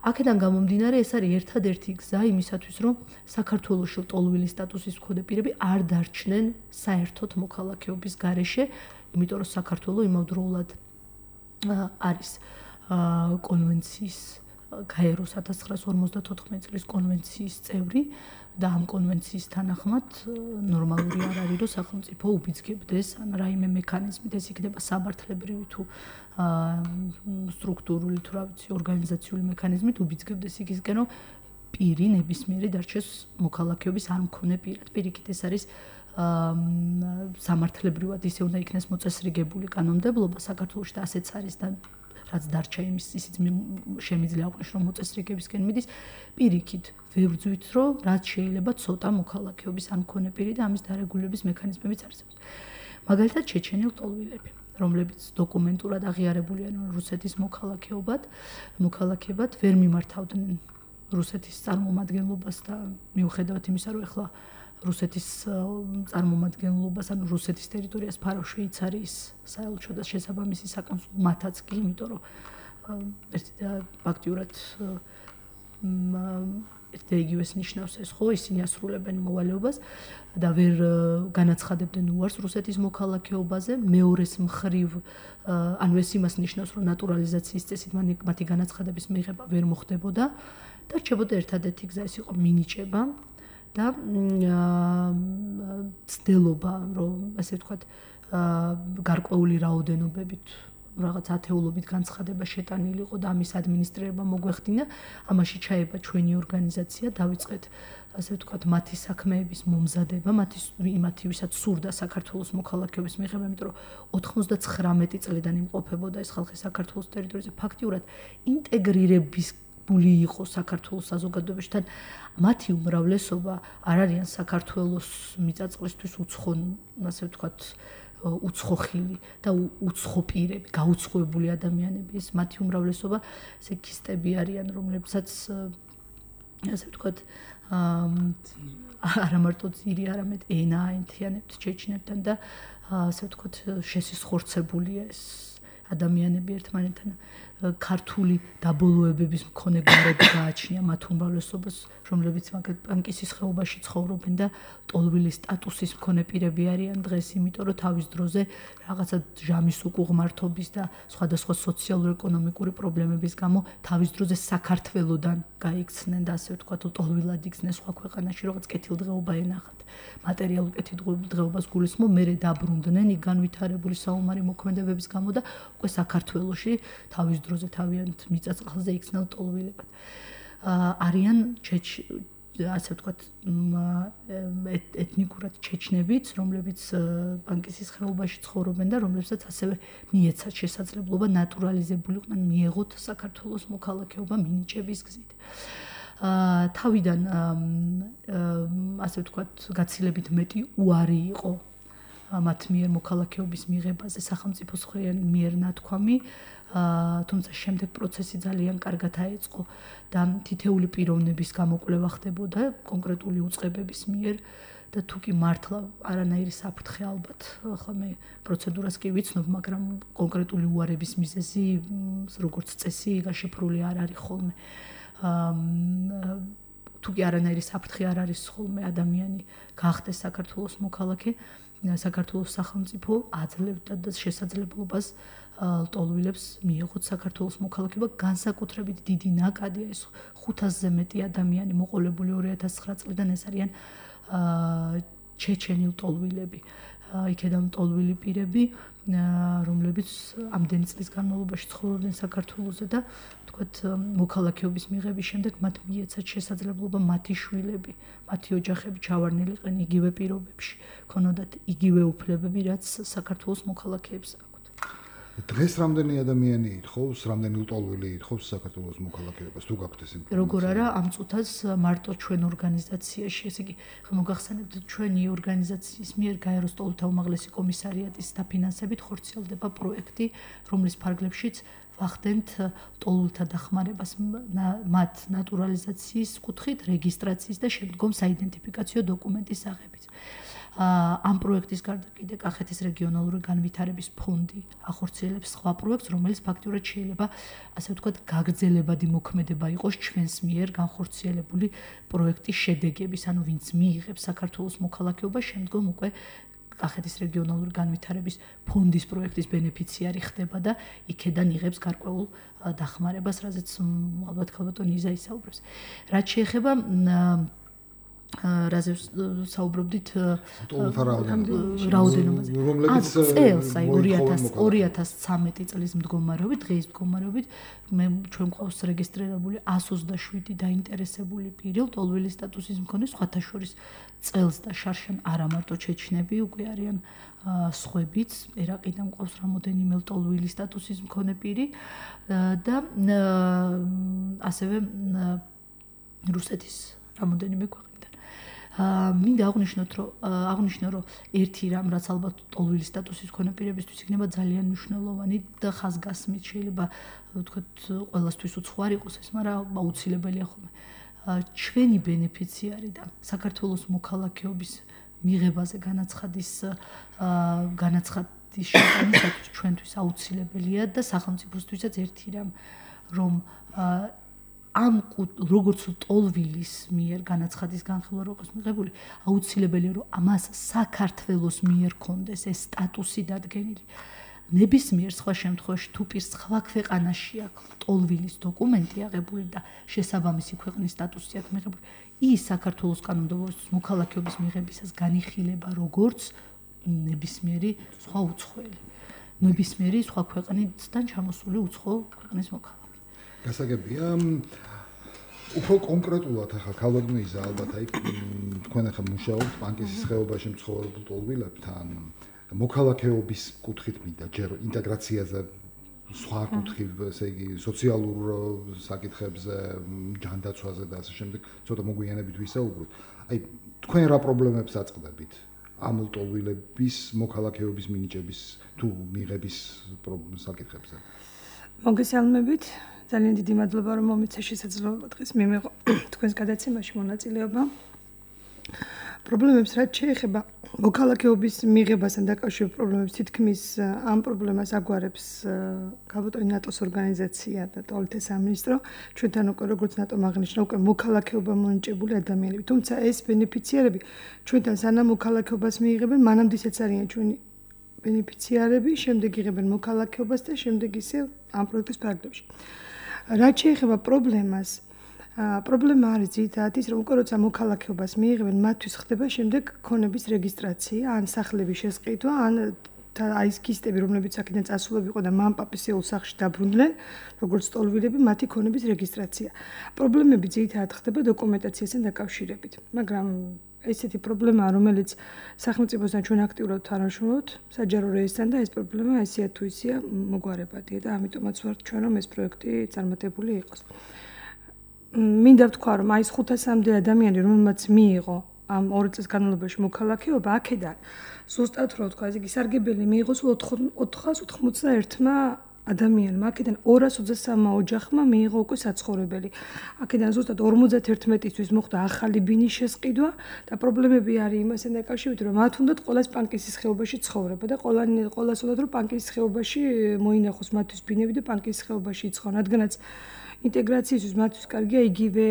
აქედან გამომდინარე, ეს არის ერთადერთი გზა იმისათვის, რომ საქართველოში ტოლვილის სტატუსის მქონე პირები არ დარჩნენ საერთოდ მოქალაქეობის გარეშე, იმიტომ რომ საქართველო იმავდროულად არის კონვენციის გაეროს ათას ცხრაასი ორმოცდათოთხმეტი წლის კონვენციის წევრი და ამ კონვენციის თანახმად ნორმალური არ არის, რომ სახელმწიფო უბიძგებდეს ან რაიმე მექანიზმით, ეს იქნება სამართლებრივი თუ სტრუქტურული თუ რა ვიცი, ორგანიზაციული მექანიზმით უბიძგებდეს იქისკენ, რომ პირი ნებისმიერი დარჩეს მოქალაქეობის არ მქონე პირად. პირიქით ეს არის სამართლებრივად ისე უნდა იქნეს მოწესრიგებული კანონმდებლობა საქართველოში და ასეც არის და რაც დარჩა იმის ისიც შემიძლია აღვნიშნოს, რომ მოწესრიგებისკენ მიდის, პირიქით ვებრძვით, რომ რაც შეიძლება ცოტა მოქალაქეობის არ მქონე პირი და ამის დარეგულირების მექანიზმებიც არსებობს. მაგალითად ჩეჩენილ ტოლვილები, რომლებიც დოკუმენტურად აღიარებულია რუსეთის მოქალაქეობად, მოქალაქეებად ვერ მიმართავდნენ რუსეთის წარმომადგენლობას და მიუხედავად იმისა, რომ ეხლა რუსეთის წარმომადგენლობას, ანუ რუსეთის ტერიტორიას ფარავ შვეიცარიის საელჩო და შესაბამისი საკონსულო მათაც კი, იმიტომ რომ ერთი და ფაქტიურად ერთ და იგივეს ნიშნავს ეს, ხო, ისინი ასრულებენ მოვალეობას და ვერ განაცხადებდნენ უარს რუსეთის მოქალაქეობაზე, მეორეს მხრივ, ანუ ეს იმას ნიშნავს, რომ ნატურალიზაციის წესით მათი განაცხადების მიღება ვერ მოხდებოდა და რჩებოდა ერთადერთი გზა, ეს იყო მინიჭება და ცდილობა, რომ ასე ვთქვათ, გარკვეული რაოდენობებით რაღაც ათეულობით განცხადება შეტანილიყო და ამის ადმინისტრირება მოგვეხდინა, ამაში ჩაება ჩვენი ორგანიზაცია, დავიწყეთ ასე ვთქვათ, მათი საქმეების მომზადება, მათი იმათი, ვისაც სურდა საქართველოს მოქალაქეობის მიღება, იმიტომ რომ ოთხმოცდაცხრამეტი წლიდან იმყოფებოდა ეს ხალხი საქართველოს ტერიტორიაზე, ფაქტიურად ინტეგრირების ბული იყო საქართველოს საზოგადოებაში, თან მათი უმრავლესობა არ არიან საქართველოს მიწაწყლისთვის უცხო, ასე ვთქვათ, უცხო ხილი და უცხო პირები, გაუცხოებული ადამიანები, ეს მათი უმრავლესობა სექისტები არიან, რომლებსაც ასე ვთქვათ, არა მარტო ძირი, არამედ ენა აენთიანებთ ჩეჩნებთან და ასე ვთქვათ, შესისხორცებულია ეს ადამიანები ერთმანეთთან ქართული დაბოლოებების მქონე გარეთ გააჩნია მათ უმრავლესობას, რომლებიც მაგალითად პანკისის ხეობაში ცხოვრობენ და ტოლვილის სტატუსის მქონე პირები არიან დღეს, იმიტომ რომ თავის დროზე რაღაცა ჟამის უკუღმართობის და სხვადასხვა სოციალურ-ეკონომიკური პრობლემების გამო თავის დროზე საქართველოდან გაიქცნენ და ასე ვთქვათ, ტოლვილად იქცნენ სხვა ქვეყანაში, რაღაც კეთილდღეობა ენახათ. მატერიალურ კეთილდღეობას გულისხმობ, მერე დაბრუნდნენ იქ განვითარებული საომარი მოქმედებების გამო და უკვე საქართველოში თავის დროზე თავიანთ მიწაწყალზე იქცნენ ტოლვილებად. არიან ჩეჩ ასე ვთქვათ, ეთნიკურად ჩეჩნებიც, რომლებიც პანკისის ხეობაში ცხოვრობენ და რომლებსაც ასევე მიეცათ შესაძლებლობა ნატურალიზებულიყვნენ, მიეღოთ საქართველოს მოქალაქეობა მინიჭების გზით. თავიდან ასე ვთქვათ, გაცილებით მეტი უარი იყო მათ მიერ მოქალაქეობის მიღებაზე სახელმწიფოს მიერ ნათქვამი, თუმცა შემდეგ პროცესი ძალიან კარგად აეწყო და თითეული პიროვნების გამოკვლევა ხდებოდა კონკრეტული უწყებების მიერ და თუ კი მართლა არანაირი საფრთხე ალბათ, ახლა მე პროცედურას კი ვიცნობ, მაგრამ კონკრეტული უარების მიზეზი როგორც წესი გაშიფრული არ არის ხოლმე. თუ კი არანაირი საფრთხე არ არის ხოლმე ადამიანი გახდეს საქართველოს მოქალაქე, საქართველოს სახელმწიფო აძლევდა და შესაძლებლობას ტოლვილებს მიეღოთ საქართველოს მოქალაქეობა, განსაკუთრებით დიდი ნაკადია ეს ხუთასზე მეტი ადამიანი მოყოლებული ორი ათას ცხრა წლიდან, ეს არიან ჩეჩენილ ტოლვილები, იქედან ტოლვილი პირები, რომლებიც ამდენი წლის განმავლობაში ცხოვრობდნენ საქართველოზე და ვთქვათ, მოქალაქეობის მიღების შემდეგ მათ მიეცათ შესაძლებლობა მათი შვილები, მათი ოჯახები ჩავარნილიყენ იგივე პირობებში, ქონოდათ იგივე უფლებები, რაც საქართველოს მოქალაქეებს აქვთ. დღეს რამდენი ადამიანი ითხოვს, რამდენი ტოლვილი ითხოვს საქართველოს მოქალაქეობას, თუ გაქვთ ეს ინფორმაცია? როგორ არა, ამ წუთას მარტო ჩვენ ორგანიზაციაში, ესე იგი, მოგახსენებთ, ჩვენი ორგანიზაციის მიერ გაეროს ტოლთა უმაღლესი კომისარიატის დაფინანსებით ხორციელდება პროექტი, რომლის ფარგლებშიც ვახდენთ ტოლულთა დახმარებას მათ ნატურალიზაციის კუთხით, რეგისტრაციის და შემდგომ საიდენტიფიკაციო დოკუმენტის აღებით. ამ პროექტის გარდა კიდე კახეთის რეგიონალური განვითარების ფონდი ახორციელებს სხვა პროექტს, რომელიც ფაქტურად შეიძლება, ასე ვთქვათ, გაგრძელებადი მოქმედება იყოს ჩვენს მიერ განხორციელებული პროექტის შედეგების, ანუ ვინც მიიღებს საქართველოს მოქალაქეობა, შემდგომ უკვე კახეთის რეგიონალური განვითარების ფონდის პროექტის ბენეფიციარი ხდება და იქედან იღებს გარკვეულ დახმარებას, რაზეც ალბათ ქალბატონი იზა ისაუბრებს. რაც შეეხება რაზე საუბრობდით რაოდენობაზე. რომლებიც წელს, აი ორი ათას ცხრამეტი წლის მდგომარეობით, დღის მდგომარეობით მე ჩვენ გვყავს რეგისტრირებული εκατს ოცდაშვიდი დაინტერესებული პირი, ლტოლვილის სტატუსის მქონე, სხვათა შორის წელს და შარშან არა მარტო ჩეჩნები, უკვე არიან სხვებიც, ერაყიდან მყავს რამოდენიმე ლტოლვილის სტატუსის მქონე პირი და ასევე რუსეთის რამოდენიმე ქვეყანა. მინდა აღვნიშნოთ, რომ აღვნიშნო, რომ ერთი რამ, რაც ალბათ ლტოლვილის სტატუსის მქონე პირებისთვის იქნება ძალიან მნიშვნელოვანი და ხაზგასმით შეიძლება ვთქვათ ყველასთვის უცხოარი იყოს ეს, მაგრამ აუცილებელია ხოლმე. ჩვენი ბენეფიციარი და საქართველოს მოქალაქეობის მიღებაზე განაცხადის განაცხადის შეტანა ჩვენთვის აუცილებელია და სახელმწიფოსთვისაც ერთი რამ, რომ ამ როგორც ლტოლვილის მიერ განაცხადის განხილვა როგორც მიღებული, აუცილებელია რომ ამას საქართველოს მიერ კონდეს ეს სტატუსი დადგენილი. ნებისმიერ სხვა შემთხვევაში თუ პირს სხვა ქვეყანაში აქვს ლტოლვილის დოკუმენტი აღებული და შესაბამისი ქვეყნის სტატუსი აქვს მიღებული, ის საქართველოს კანონმდებლობის მოქალაქეობის მიღებისას განიხილება როგორც ნებისმიერი სხვა უცხოელი, ნებისმიერი სხვა ქვეყნიდან ჩამოსული უცხო ქვეყნის მოქალაქე. გასაგებია უფრო კონკრეტულად ახლა ქალბატონიზა ალბათ აი თქვენ ახლა მუშაობთ ბანკის ხეობაში მცხოვრებულ ლტოლვილებთან მოქალაქეობის კუთხით მინდა ჯერ ინტეგრაციაზე სხვა კუთხით ესე იგი სოციალურ საკითხებზე ჯანდაცვაზე და ასე შემდეგ ცოტა მოგვიანებით ვისაუბროთ აი თქვენ რა პრობლემებს აწყდებით ამ ლტოლვილების მოქალაქეობის მინიჭების თუ მიღების საკითხებზე მოგესალმებით ძალიან დიდი მადლობა რომ მომეცა შესაძლებლობა დღეს მიმიღო თქვენს გადაცემაში მონაწილეობა. პრობლემებს რაც შეეხება მოქალაქეობის მიღებასთან დაკავშირებულ პრობლემებს თითქმის ამ პრობლემას აგვარებს ქალბატონი ნატოს ორგანიზაცია და ტოლთა სამინისტრო ჩვენთან უკვე როგორც ნატომ აღნიშნა უკვე მოქალაქეობა მონიჭებული ადამიანები. თუმცა ეს ბენეფიციარები ჩვენთან სანამ მოქალაქეობას მიიღებენ მანამდე ისეც არიან ჩვენი ბენეფიციარები, შემდეგ იღებენ მოქალაქეობას და შემდეგ ისე ამ პროექტის ფარგლებში. რაც შეეხება პრობლემას, პრობლემა არის ძირითადად ის, რომ უკვე როცა მოქალაქეობას მიიღებენ, მათთვის ხდება შემდეგ ქონების რეგისტრაცია, ან სახლების შესყიდვა, ან აი ეს კისტები, რომლებიც აქედან წასულები იყო და მან პაპისეულ სახლში დაბრუნდნენ, როგორც ლტოლვილები, მათი ქონების რეგისტრაცია. პრობლემები ძირითადად ხდება დოკუმენტაციასთან დაკავშირებით, მაგრამ ესეთი პრობლემაა, რომელიც სახელმწიფოსთან ჩვენ აქტიურად თანამშრომლობთ, საჯარო რეესთან და ეს პრობლემა ესეა თუ ისეა მოგვარებადია და ამიტომაც ვართ ჩვენ რომ ეს პროექტი წარმატებული იყოს. მინდა ვთქვა, რომ აი ეს ხუთასამდე ადამიანი, რომელმაც მიიღო ამ ორი წლის განმავლობაში მოქალაქეობა, აქედან ზუსტად რო ვთქვა, ესე იგი სარგებელი მიიღო სულ ოთხას ოთხმოცდაერთმა ადამიანმა, აქედან ორას ოცდასამმა ოჯახმა მიიღო უკვე საცხოვრებელი. აქედან ზუსტად ორმოცდაერთმეტისთვის მოხდა ახალი ბინის შესყიდვა და პრობლემები არის იმასთან დაკავშირებით, რომ მათ უნდათ ყოველას პანკისის ხეობაში ცხოვრება და ყველანი ყოველას უნდათ რომ პანკისის ხეობაში მოინახოს მათთვის ბინები და პანკისის ხეობაში იცხონ, რადგანაც ინტეგრაციისთვის მათთვის კარგია იგივე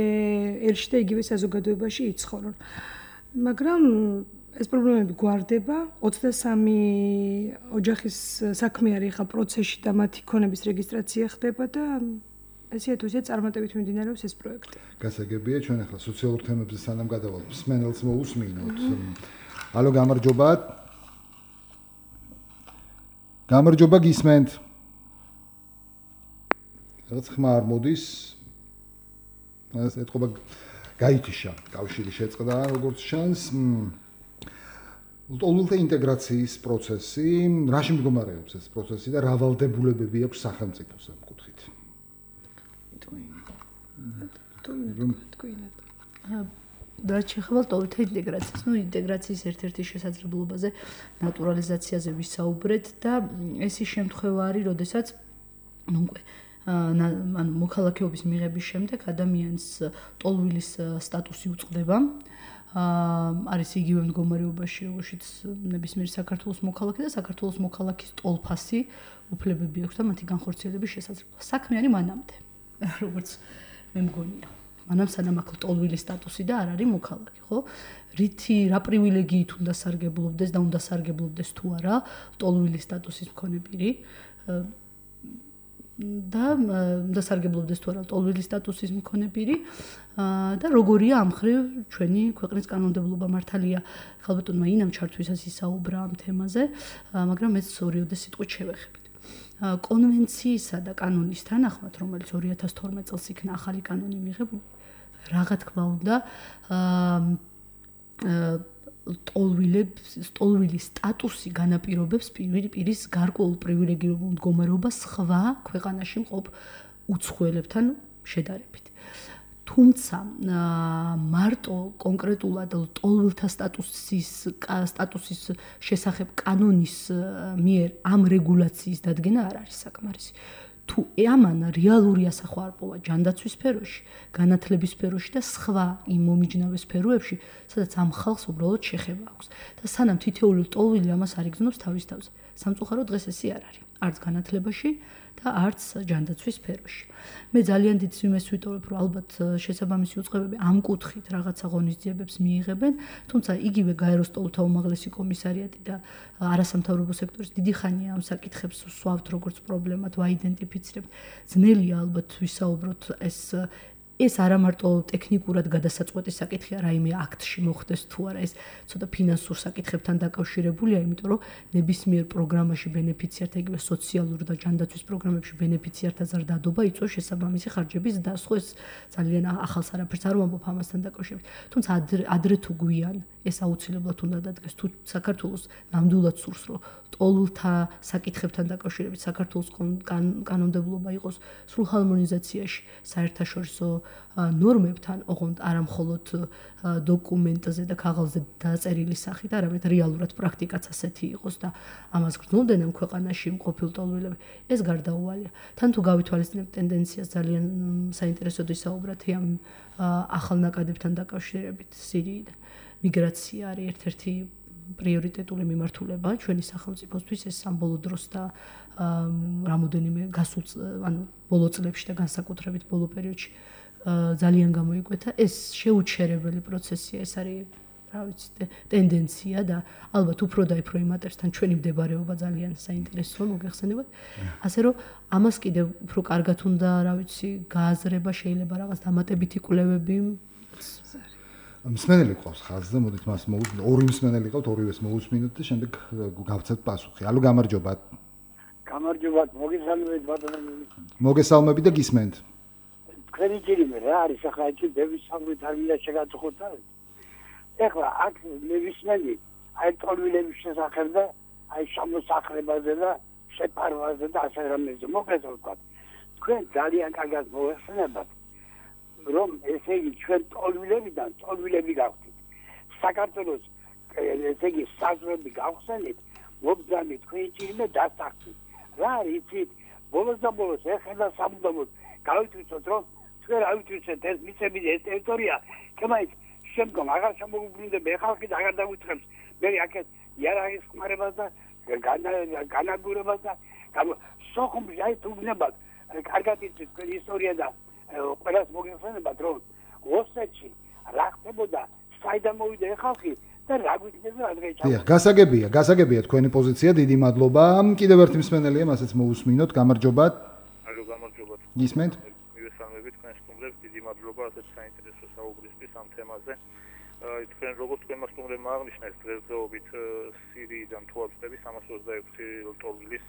ერში და იგივე საზოგადოებაში იცხორონ. მაგრამ ეს პრობლემები გვარდება, ოცდასამი ოჯახის საქმე არის ახლა პროცესში და მათი ქონების რეგისტრაცია ხდება და ესეა თუ ისე წარმატებით მიმდინარეობს ეს პროექტი. გასაგებია, ჩვენ ახლა სოციალურ თემებზე სანამ გადავალთ, მსმენელს მოусმინოთ. ალო, გამარჯობა. გამარჯობა გისმენთ. რაღაც ხმა არ მოდის. ეს ეთქობა გაითიშა, კავშირი შეწყდა, როგორც ჩანს. ლტოლვილთა ინტეგრაციის პროცესი, რაში მდგომარეობს ეს პროცესი და რა ვალდებულებები აქვს სახელმწიფოს ამ კუთხით? რაც შეეხება ლტოლვილთა ინტეგრაციას, ну ინტეგრაციის ერთ-ერთი შესაძლებლობაზე ნატურალიზაციაზე ვისაუბრეთ და ეს ის შემთხვევა არის, როდესაც ну უკვე ან მოქალაქეობის მიღების შემდეგ ადამიანს ლტოლვილის სტატუსი უწყდება არის იგივე მდგომარეობაში, როგორიც ნებისმიერ საქართველოს მოქალაქე და საქართველოს მოქალაქის ტოლფასი უფლებები აქვს და მათი განხორციელების შესაძლებლობა. საქმე არის მანამდე, როგორც მე მგონია. მანამ სანამ აქ ტოლვილი სტატუსი და არ არის მოქალაქე, ხო? რითი რა პრივილეგიით უნდა სარგებლობდეს და უნდა სარგებლობდეს თუ არა ტოლვილი სტატუსის მქონე პირი და უნდა სარგებლობდეს თუ არა ტოლვილი სტატუსის მქონე პირი და როგორია ამ მხრივ ჩვენი ქვეყნის კანონმდებლობა. მართალია ხალბატონმა ინამ ჩართვისას ისაუბრა ამ თემაზე, მაგრამ ეს ორიოდე სიტყვით შევეხებით. კონვენციისა და კანონის თანახმად, რომელიც ორი ათას თორმეტ წელს იქნა ახალი კანონი მიღებული, რაღა თქმა უნდა, ტოლვილებს, ტოლვილის სტატუსი განაპირობებს პირის გარკვეულ პრივილეგირებულ მდგომარეობას სხვა ქვეყანაში მყოფ უცხოელებთან შედარებით. თუმცა მარტო კონკრეტულად ტოლვილთა სტატუსის სტატუსის შესახებ კანონის მიერ ამ რეგულაციის დადგენა არ არის საკმარისი. თუ ამან რეალური ასახვა ჯანდაცვის სფეროში, განათლების სფეროში და სხვა იმ მომიჯნავე სფეროებში, სადაც ამ ხალხს უბრალოდ შეხება აქვს. და სანამ თითოეული ტოლვილი ამას არ იგრძნობს თავის თავზე. სამწუხაროდ დღეს ესე არ არის. არც განათლებაში და არც ჯანდაცვის სფეროში. მე ძალიან დიდ სიმეს ვიტოვებ, რომ ალბათ შესაბამისი უწყებები ამ კუთხით რაღაცა ღონისძიებებს მიიღებენ, თუმცა იგივე გაეროს ტოლთა უმაღლესი კომისარიატი და არასამთავრობო სექტორის დიდი ხანია ამ საკითხებს ვსვავთ როგორც პრობლემად, ვაიდენტიფიცირებთ. ძნელია ალბათ ვისაუბროთ ეს ეს არა მარტო ტექნიკურად გადასაწყვეტი საკითხია, რაიმე აქტში მოხდეს თუ არა, ეს ცოტა ფინანსურ საკითხებთან დაკავშირებულია, იმიტომ რომ ნებისმიერ პროგრამაში ბენეფიციართა, იგივე სოციალურ და ჯანდაცვის პროგრამებში ბენეფიციართა ზრდადობა იწვევს შესაბამისი ხარჯების დასხვა. ეს ძალიან ახალს არაფერს არ ვამბობ ამასთან დაკავშირებით. თუმცა ადრე თუ გვიან ეს აუცილებლად უნდა დადგეს, თუ საქართველოს ნამდვილად სურს, რომ ტოლულთა საკითხებთან დაკავშირებით საქართველოს კანონმდებლობა იყოს სრულ ჰარმონიზაციაში საერთაშორისო ნორმებთან, ოღონდ არა მხოლოდ დოკუმენტზე და ქაღალდზე დაწერილი სახით, არამედ რეალურად პრაქტიკაც ასეთი იყოს და ამას გრძნობდნენ ამ ქვეყანაში მყოფილ ტოლვილები. ეს გარდაუვალია. თან თუ გავითვალისწინებთ ტენდენციას, ძალიან საინტერესოდ ისაუბრათ ამ ახალ ნაკადებთან დაკავშირებით სირიიდან. მიგრაცია არის ერთ-ერთი პრიორიტეტული მიმართულება ჩვენი სახელმწიფოსთვის, ეს სამბოლო დროს და რამოდენიმე გასულ ანუ ბოლო წლებში და განსაკუთრებით ბოლო პერიოდში ძალიან გამოიკვეთა. ეს შეუჩერებელი პროცესია, ეს არის რა ვიცი ტენდენცია და ალბათ უფრო და უფრო იმატერსთან ჩვენი მდებარეობა ძალიან საინტერესოა მოგეხსენებათ. ასე რომ ამას კიდევ უფრო კარგად უნდა რა ვიცი გააზრება, შეიძლება რაღაც დამატებითი კვლევები მსმენელი ყავს ხაზზე, მოდით მას მოусმინოთ. ორი მსმენელი ყავთ, ორივეს მოусმინოთ და შემდეგ გავცეთ პასუხი. ალო, გამარჯობა. გამარჯობა, მოგესალმებით ბატონო. მოგესალმებით და გისმენთ. თქვენი ჯერიმე რა არის ახლა ეს დევის სამი თარგმნა შეგაწუხოთ. ეხლა აქ ნებისმიერი აი ტოლვილების შესახებ და აი შემოსახლებაზე და შეფარვაზე და ასე რამეზე მოგესალმებით. თქვენ ძალიან კარგად მოეხსენებათ. რომ ესე იგი ჩვენ ტოლვილებიდან ტოლვილები გავხდით. საქართველოს ესე იგი საზღვრები გავხსენით, მობრძანით თქვენი ჭირიმე დასახდით. რა არის იცით? ბოლოს და ბოლოს ეხლა სამუდამოდ გავითვისოთ, რომ ჩვენ ავითვისეთ ეს მიწები ეს ტერიტორია, თუმცა შემდგომ აღარ შემოგვიბრუნდება ხალხი და აღარ დაუწყებს. მე აქეთ იარაღის ხმარებას და განაგურებას და სოხუმში აი თუ გნებათ, კარგად იცით თქვენი ისტორია და ყველას მოგეხსენებათ, რომ ოსეთში რა ხდებოდა, საიდან მოვიდა ხალხი და რა გვიქნება ადრე ჩავ. დიახ, გასაგებია, გასაგებია თქვენი პოზიცია, დიდი მადლობა. კიდევ ერთი მსმენელია, მასეც მოусმინოთ, გამარჯობათ. ალო, გამარჯობათ. გისმენთ? მივესალმებით თქვენ სტუმრებს, დიდი მადლობა ასეთ საინტერესო საუბრისთვის ამ თემაზე. აი თქვენ როგორც თქვენმა სტუმრებმა აღნიშნეს, დღესდღეობით სირიიდან თუ აწდები სამას ოცდაექვსი ტოლვილის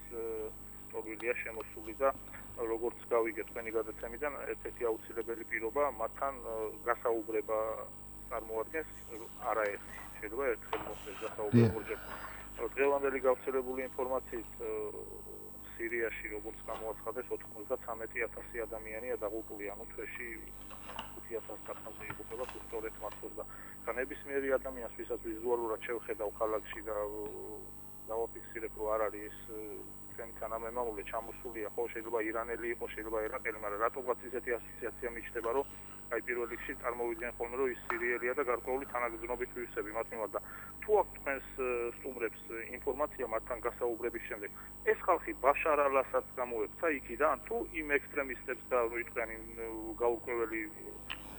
ტოლვილია შემოსული და როგორც გავიგეთ თქვენი გადაცემიდან, ერთ-ერთი აუცილებელი პირობა მათთან გასაუბრება წარმოადგენს არაერთი. შეიძლება ერთხელ მოხდეს გასაუბრება ორჯერ. დღევანდელი გავრცელებული ინფორმაციით სირიაში როგორც გამოაცხადეს ოთხმოცდათრამეტი ათასი ადამიანია დაღუპული, ანუ თვეში ხუთი ათას კაცზე იღუპება სწორედ მართლაც და განებისმიერი ადამიანს, ვისაც ვიზუალურად შევხედავ ქალაქში და დავაფიქსირებ, რომ არ არის ჩვენი თანამემამულე ჩამოსულია, ხო შეიძლება ირანელი იყოს, შეიძლება ერაყელი, მაგრამ რატომღაც ისეთი ასოციაცია მიჩნდება, რომ აი პირველ რიგში წარმოვიდგენ ხოლმე რომ ის სერიალია და გარკვეული თანაგრძნობით ვირუსები მათ მიმართ და თუ აქ თქვენს სტუმრებს ინფორმაცია მათთან გასაუბრების შემდეგ ეს ხალხი ბაშარ ალ-ასადს გამოექცა იქიდან თუ იმ ექსტრემისტებს და ვიტყვიან იმ გაურკვეველი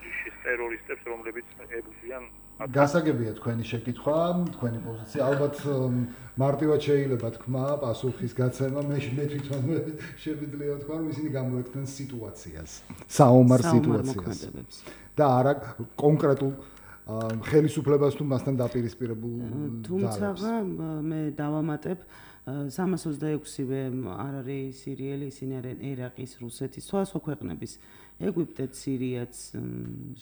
ჯიშის ტერორისტებს რომლებიც ებრძვიან გასაგებია თქვენი შეკითხვა, თქვენი პოზიცია. ალბათ მარტივად შეიძლება თქვა პასუხის გაცემა, მე მე თვითონ შემიძლია თქვა, რომ ისინი გამოექცნენ სიტუაციას, საომარ სიტუაციას. და არა კონკრეტულ ხელისუფლებას თუ მასთან დაპირისპირებულ თუმცა მე დავამატებ სამას ოცდაექვსივე არ არის სირიელი, ისინი არიან ერაყის, რუსეთის, სხვადასხვა ქვეყნების ეგვიპტე, სირიაც,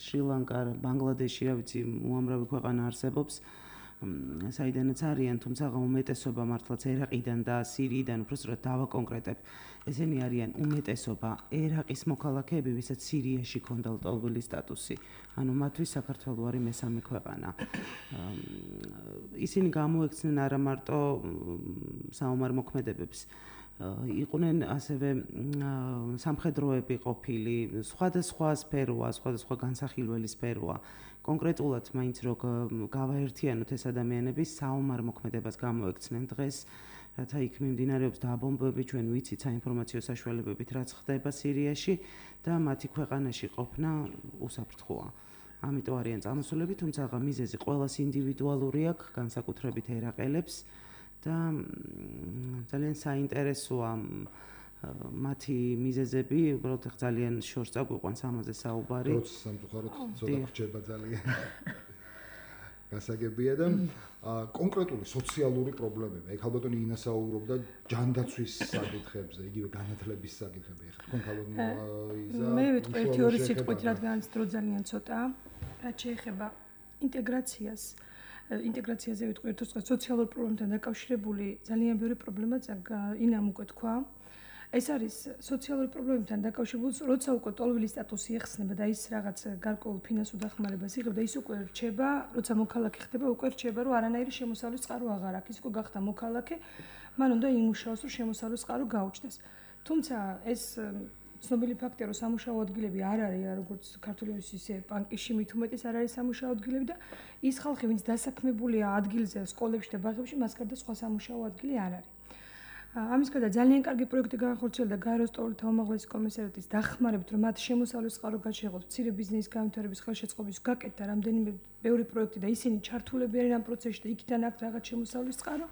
შრი-ლანკა, ბანგლადეში, რა ვიცი, უამრავი ქვეყანა არსებობს, საიდანაც არიან, თუმცა უმეტესობა მართლაც ერაყიდან და სირიიდან, უბრალოდ დავაკონკრეტებ, ესენი არიან უმეტესობა ერაყის მოქალაქეები, ვისაც სირიაში ქონდა ლტოლვილი სტატუსი. ანუ მათთვის საქართველო არის მესამე ქვეყანა. ისინი გამოექცნენ არა მარტო საომარ მოქმედებებს, იყვნენ ასევე სამხედროები ყოფილი, სხვადასხვა სფეროა, სხვადასხვა განსახილველი სფეროა. კონკრეტულად მაინც რო გავაერთიანოთ ეს ადამიანები საომარ მოქმედებას გამოექცნენ დღეს, რათა იქ მიმდინარეობს დაბომბვები, ჩვენ ვიცით საინფორმაციო საშუალებებით რაც ხდება სირიაში და მათი ქვეყანაში ყოფნა უსაფრთხოა. ამიტომ არიან წამოსულები, თუმცა მიზეზი ყველას ინდივიდუალური აქვს, განსაკუთრებით ერაყელებს და ძალიან საინტერესოა მათი მიზეზები, უბრალოდ ძალიან შორს წაგვიყვანს ამაზე საუბარი. როც სამწუხაროდ ცოტა რჩება ძალიან. გასაგებია და კონკრეტული სოციალური პრობლემები. ეგ ალბათ ინა საუბრობდა ჯანდაცვის საკითხებზე, იგივე განათლების საკითხებზე. ეხლა თქვენ ალბათ იზა მე ვიტყვი ერთი ორი სიტყვით, რადგან დრო ძალიან ცოტაა. რაც შეეხება ინტეგრაციას, ინტეგრაციაზე ვიტყვი ერთ ოთხ სოციალურ პრობლემთან დაკავშირებული ძალიან ბევრი პრობლემა ინამ უკვე თქვა. ეს არის სოციალური პრობლემებთან დაკავშირებული, როცა უკვე ტოლვილი სტატუსი ეხსნება და ის რაღაც გარკვეულ ფინანსურ დახმარებას იღებს და ის უკვე რჩება, როცა მოქალაქე ხდება, უკვე რჩება, რომ არანაირი შემოსავლის წყარო აღარ აქვს. ის უკვე გახდა მოქალაქე, მან უნდა იმუშაოს, რომ შემოსავლის წყარო გაუჩნდეს. თუმცა ეს ცნობილი ფაქტია, რომ სამუშაო ადგილები არ არის, როგორც ქართულის ისე ბანკში მით უმეტეს არ არის სამუშაო ადგილები და ის ხალხი, ვინც დასაქმებულია ადგილზე, სკოლებში და ბაღებში, მას გარდა სხვა სამუშაო ადგილი არ არის. ამის გარდა ძალიან კარგი პროექტი განხორციელდა გაეროს ტოლთა უმაღლესი კომისარიატის დახმარებით, რომ მათ შემოსავლის წყარო გაჩაღოთ, მცირე ბიზნესის განვითარების ხელშეწყობის გაკეთდა რამდენიმე ბევრი პროექტი და ისინი ჩართულები არიან ამ პროცესში და იქიდან აქვს რაღაც შემოსავლის წყარო,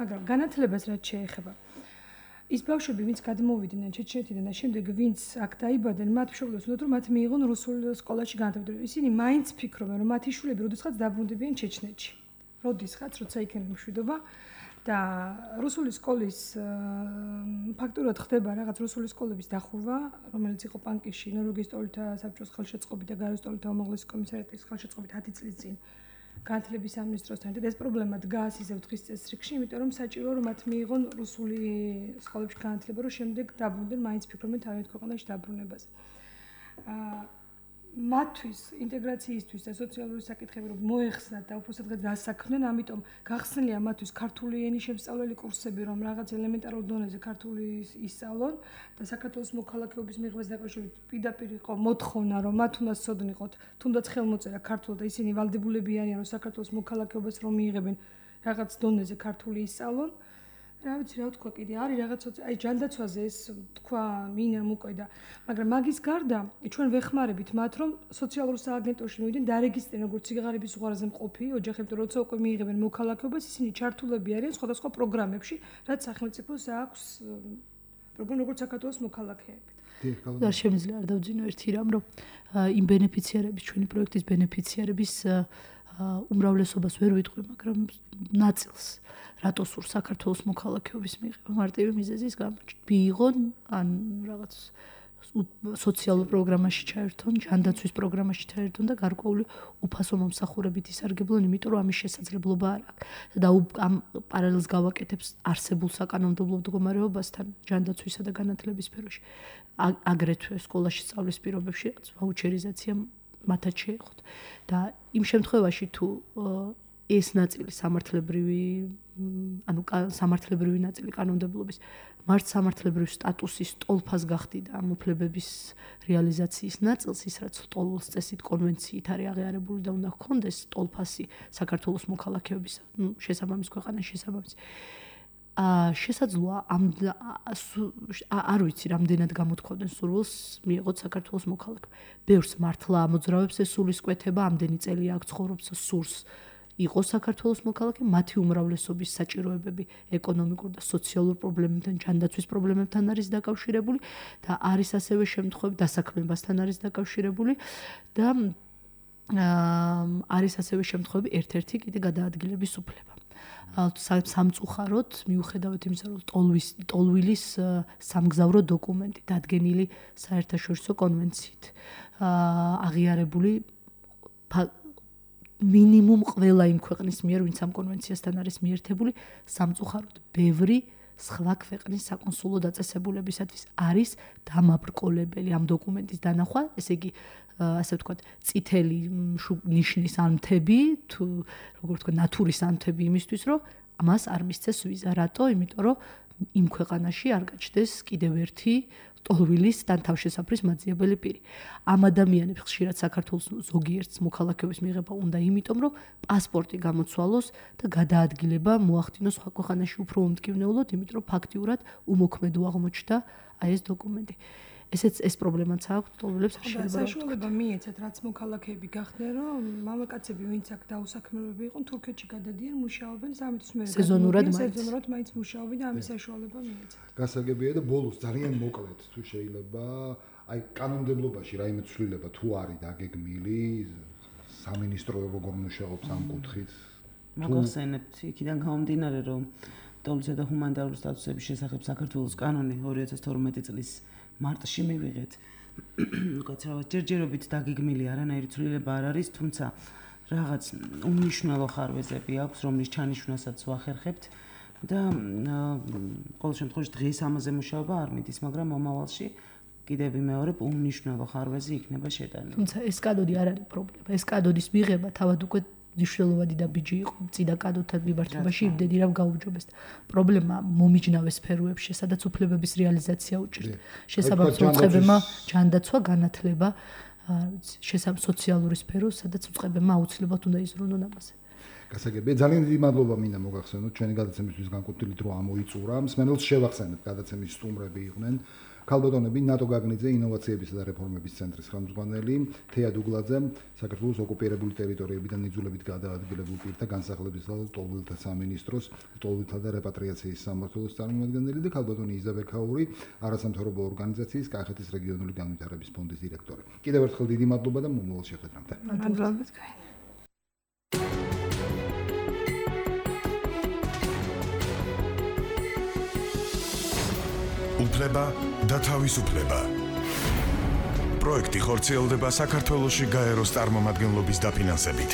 მაგრამ განათლებას რაც შეეხება ის ბავშვები, ვინც გადმოვიდნენ ჩეჩნეთიდან და შემდეგ ვინც აქ დაიბადნენ, მათ მშობლებს უნდათ რომ მათ მიიღონ რუსულ სკოლაში განათლება. ისინი მაინც ფიქრობენ, რომ მათი შვილები როდესაც დაბრუნდებიან ჩეჩნეთში. როდესაც, როცა იქნება მშვიდობა და რუსული სკოლის ფაქტურად ხდება რაღაც რუსული სკოლების დახურვა, რომელიც იყო პანკიში, ნორვეგიის ტოლთა საბჭოს ხელშეწყობით და გაეროს ტოლთა უმაღლესი კომისარიატის ხელშეწყობით ათი წლის წინ განათლების სამინისტროსთან და ეს პრობლემა დგას ისევ დღის წესრიგში, იმიტომ რომ საჭიროა რომ მათ მიიღონ რუსული სკოლებში განათლება, რომ შემდეგ დაბრუნდნენ, მაინც ფიქრობენ თავიანთ ქვეყანაში დაბრუნებაზე. აა მათთვის ინტეგრაციისთვის და სოციალური საკითხები რომ მოეხსნათ და უფრო სადღაც დასაქმნენ, ამიტომ გახსნილია მათთვის ქართული ენის შემსწავლელი კურსები, რომ რაღაც ელემენტარულ დონეზე ქართული ისწავლონ და საქართველოს მოქალაქეობის მიღებას დაკავშირებით პირდაპირ იყო მოთხოვნა, რომ მათ უნდა სწოდნიყოთ, თუნდაც ხელმოწერა ქართულად და ისინი ვალდებულები არიან, რომ საქართველოს მოქალაქეობას რომ მიიღებენ რაღაც დონეზე ქართული ისწავლონ. რა ვიცი რა ვთქვა კიდე არის რაღაც აი ჯანდაცვაზე ეს თქვა მინამ უკვე და მაგრამ მაგის გარდა ჩვენ ვეხმარებით მათ რომ სოციალურ სააგენტოში მივიდნენ დარეგისტრირდნენ როგორც სიღარიბის უღარაზე მყოფი ოჯახები როცა უკვე მიიღებენ მოქალაქეობას ისინი ჩართულები არიან სხვადასხვა პროგრამებში რაც სახელმწიფოს აქვს პროგრამა როგორც საქართველოს მოქალაქეები. და შემიძლია არ დავძინო ერთი რამ რომ იმ ბენეფიციარების ჩვენი პროექტის ბენეფიციარების უმრავლესობას ვერ ვიტყვი, მაგრამ ნაწილს რატო სურს საქართველოს მოქალაქეობის მიღება მარტივი მიზეზის გამო. მიიღონ ან რაღაც სოციალურ პროგრამაში ჩაერთონ, ჯანდაცვის პროგრამაში ჩაერთონ და გარკვეული უფასო მომსახურებით ისარგებლონ, იმიტომ რომ ამის შესაძლებლობა არ აქვს. და ამ პარალელს გავაკეთებს არსებულ საკანონმდებლო მდგომარეობასთან ჯანდაცვისა და განათლების სფეროში. აგრეთვე სკოლაში სწავლის პირობებში ვაუჩერიზაცია მათაც შეეხოთ და იმ შემთხვევაში თუ ეს ნაწილი სამართლებრივი ანუ სამართლებრივი ნაწილი კანონმდებლობის მართლმსამართლებრივი სტატუსის ტოლფას გახდიდა ამ უფლებების რეალიზაციის ნაწილს, ის რაც ტოლოს წესით კონვენციით არის აღიარებული და უნდა ჰქონდეს ტოლფასი საქართველოს მოქალაქეობის შესაბამის ქვეყანაში შესაბამის. აა შესაძლოა ამ არ ვიცი რამდენად გამოთქვამდნენ სურვილს მიიღოთ საქართველოს მოქალაქე. ბევრს მართლა ამოძრავებს ეს სულისკვეთება, ამდენი წელი აქ ცხოვრობს სურს იყო საქართველოს მოქალაქე, მათი უმრავლესობის საჭიროებები ეკონომიკურ და სოციალურ პრობლემებთან, ჯანდაცვის პრობლემებთან არის დაკავშირებული და არის ასევე შემთხვევები დასაქმებასთან არის დაკავშირებული და არის ასევე შემთხვევები ერთ-ერთი კიდე გადაადგილების უფლება. სამწუხაროდ მიუხედავად იმისა, რომ ტოლვის ტოლვილის სამგზავრო დოკუმენტი დადგენილი საერთაშორისო კონვენციით აღიარებული მინიმუმ ყველა იმ ქვეყნის მიერ, ვინც ამ კონვენციასთან არის მიერთებული, სამწუხაროდ ბევრი სხვა ქვეყნის საკონსულო დაწესებულებისათვის არის დამაბრკოლებელი ამ დოკუმენტის დანახვა, ესე იგი, ასე ვთქვათ, წითელი ნიშნის ანთები, თუ როგორ ვთქვათ, ნატურის ანთები იმისთვის, რომ მას არ მისცეს ვიზა. რატო? იმიტომ რომ იმ ქვეყანაში არ გაჩნდეს კიდევ ერთი ტოლვილის და თავშესაფრის მაძიებელი პირი. ამ ადამიანებს ხშირად საქართველოს ზოგიერთს მოქალაქეობის მიღება უნდა, იმიტომ რომ პასპორტი გამოცვალოს და გადაადგილება მოახდინოს სხვა ქვეყანაში უფრო უმტკივნეულოდ, იმიტომ რომ ფაქტიურად უმოქმედო აღმოჩნდა აი ეს დოკუმენტი. ესეც ეს პრობლემაც აქვს ტოლვილებს ხშირად. საშუალება მიეცათ, რაც მოქალაქეები გახდნენ, რომ მამაკაცები, ვინც აქ დაუსაქმებლები იყვნენ, თურქეთში გადადიან, მუშაობენ, სამთვის მე სეზონურად სეზონურად მაინც მუშაობენ და ამის საშუალება მიეცათ. გასაგებია და ბოლოს ძალიან მოკლედ თუ შეიძლება, აი კანონმდებლობაში რაიმე ცვლილება თუ არის დაგეგმილი, სამინისტრო როგორ მუშაობს ამ კუთხით. მოგახსენებთ იქიდან გამომდინარე, რომ ტოლისა და ჰუმანიტარული სტატუსების შესახებ საქართველოს კანონი ორი ათას თორმეტი წლის მარტში მივიღეთ. უკაცრავად ჯერჯერობით დაგეგმილი არანაირი ცვლილება არ არის, თუმცა რაღაც უმნიშვნელო ხარვეზები აქვს, რომლის ჩანიშვნასაც ვახერხებთ და ყოველ შემთხვევაში დღეს ამაზე მუშაობა არ მიდის, მაგრამ მომავალში კიდევ ვიმეორებ, უმნიშვნელო ხარვეზი იქნება შეტანილი. თუმცა ეს კადოდი არ არის პრობლემა. ეს კადოდის მიღება თავად უკვე მნიშვნელოვანი და ბიჯი იყო წინა კადოთან მიმართებაში იმდენი რომ გაუმჯობეს. პრობლემა მომიჯნავე სფეროებში, სადაც უფლებების რეალიზაცია უჭირთ. შესაბამისად უწყებებმა ჯანდაცვა, განათლება, შესაბამისად სოციალური სფერო, სადაც უწყებებმა აუცილებლად უნდა იზრუნონ ამაზე. გასაგებია, ძალიან დიდი მადლობა მინდა მოგახსენოთ ჩვენი გადაცემისთვის განკუთვნილით რომ ამოიწურა. მსმენელს შევახსენებ, გადაცემის სტუმრები იყვნენ ქალბატონები ნატო გაგნიძე ინოვაციებისა და რეფორმების ცენტრის ხელმძღვანელი, თეა დუგლაძე, საქართველოს ოკუპირებული ტერიტორიებიდან იძულებით გადაადგილებულ პირთა განსახლებისა და ტოლვილთა სამინისტროს, ტოლვილთა და რეპატრიაციის სამმართველოს წარმომადგენელი და ქალბატონი იზაბელ ქაური, არასამთავრობო ორგანიზაციის კახეთის რეგიონული განვითარების ფონდის დირექტორი. კიდევ ერთხელ დიდი მადლობა და მომავალ შეხვედრამდე. მადლობა თქვენ. უფლება და თავისუფლება. პროექტი ხორციელდება საქართველოში გაეროს წარმომადგენლობის დაფინანსებით.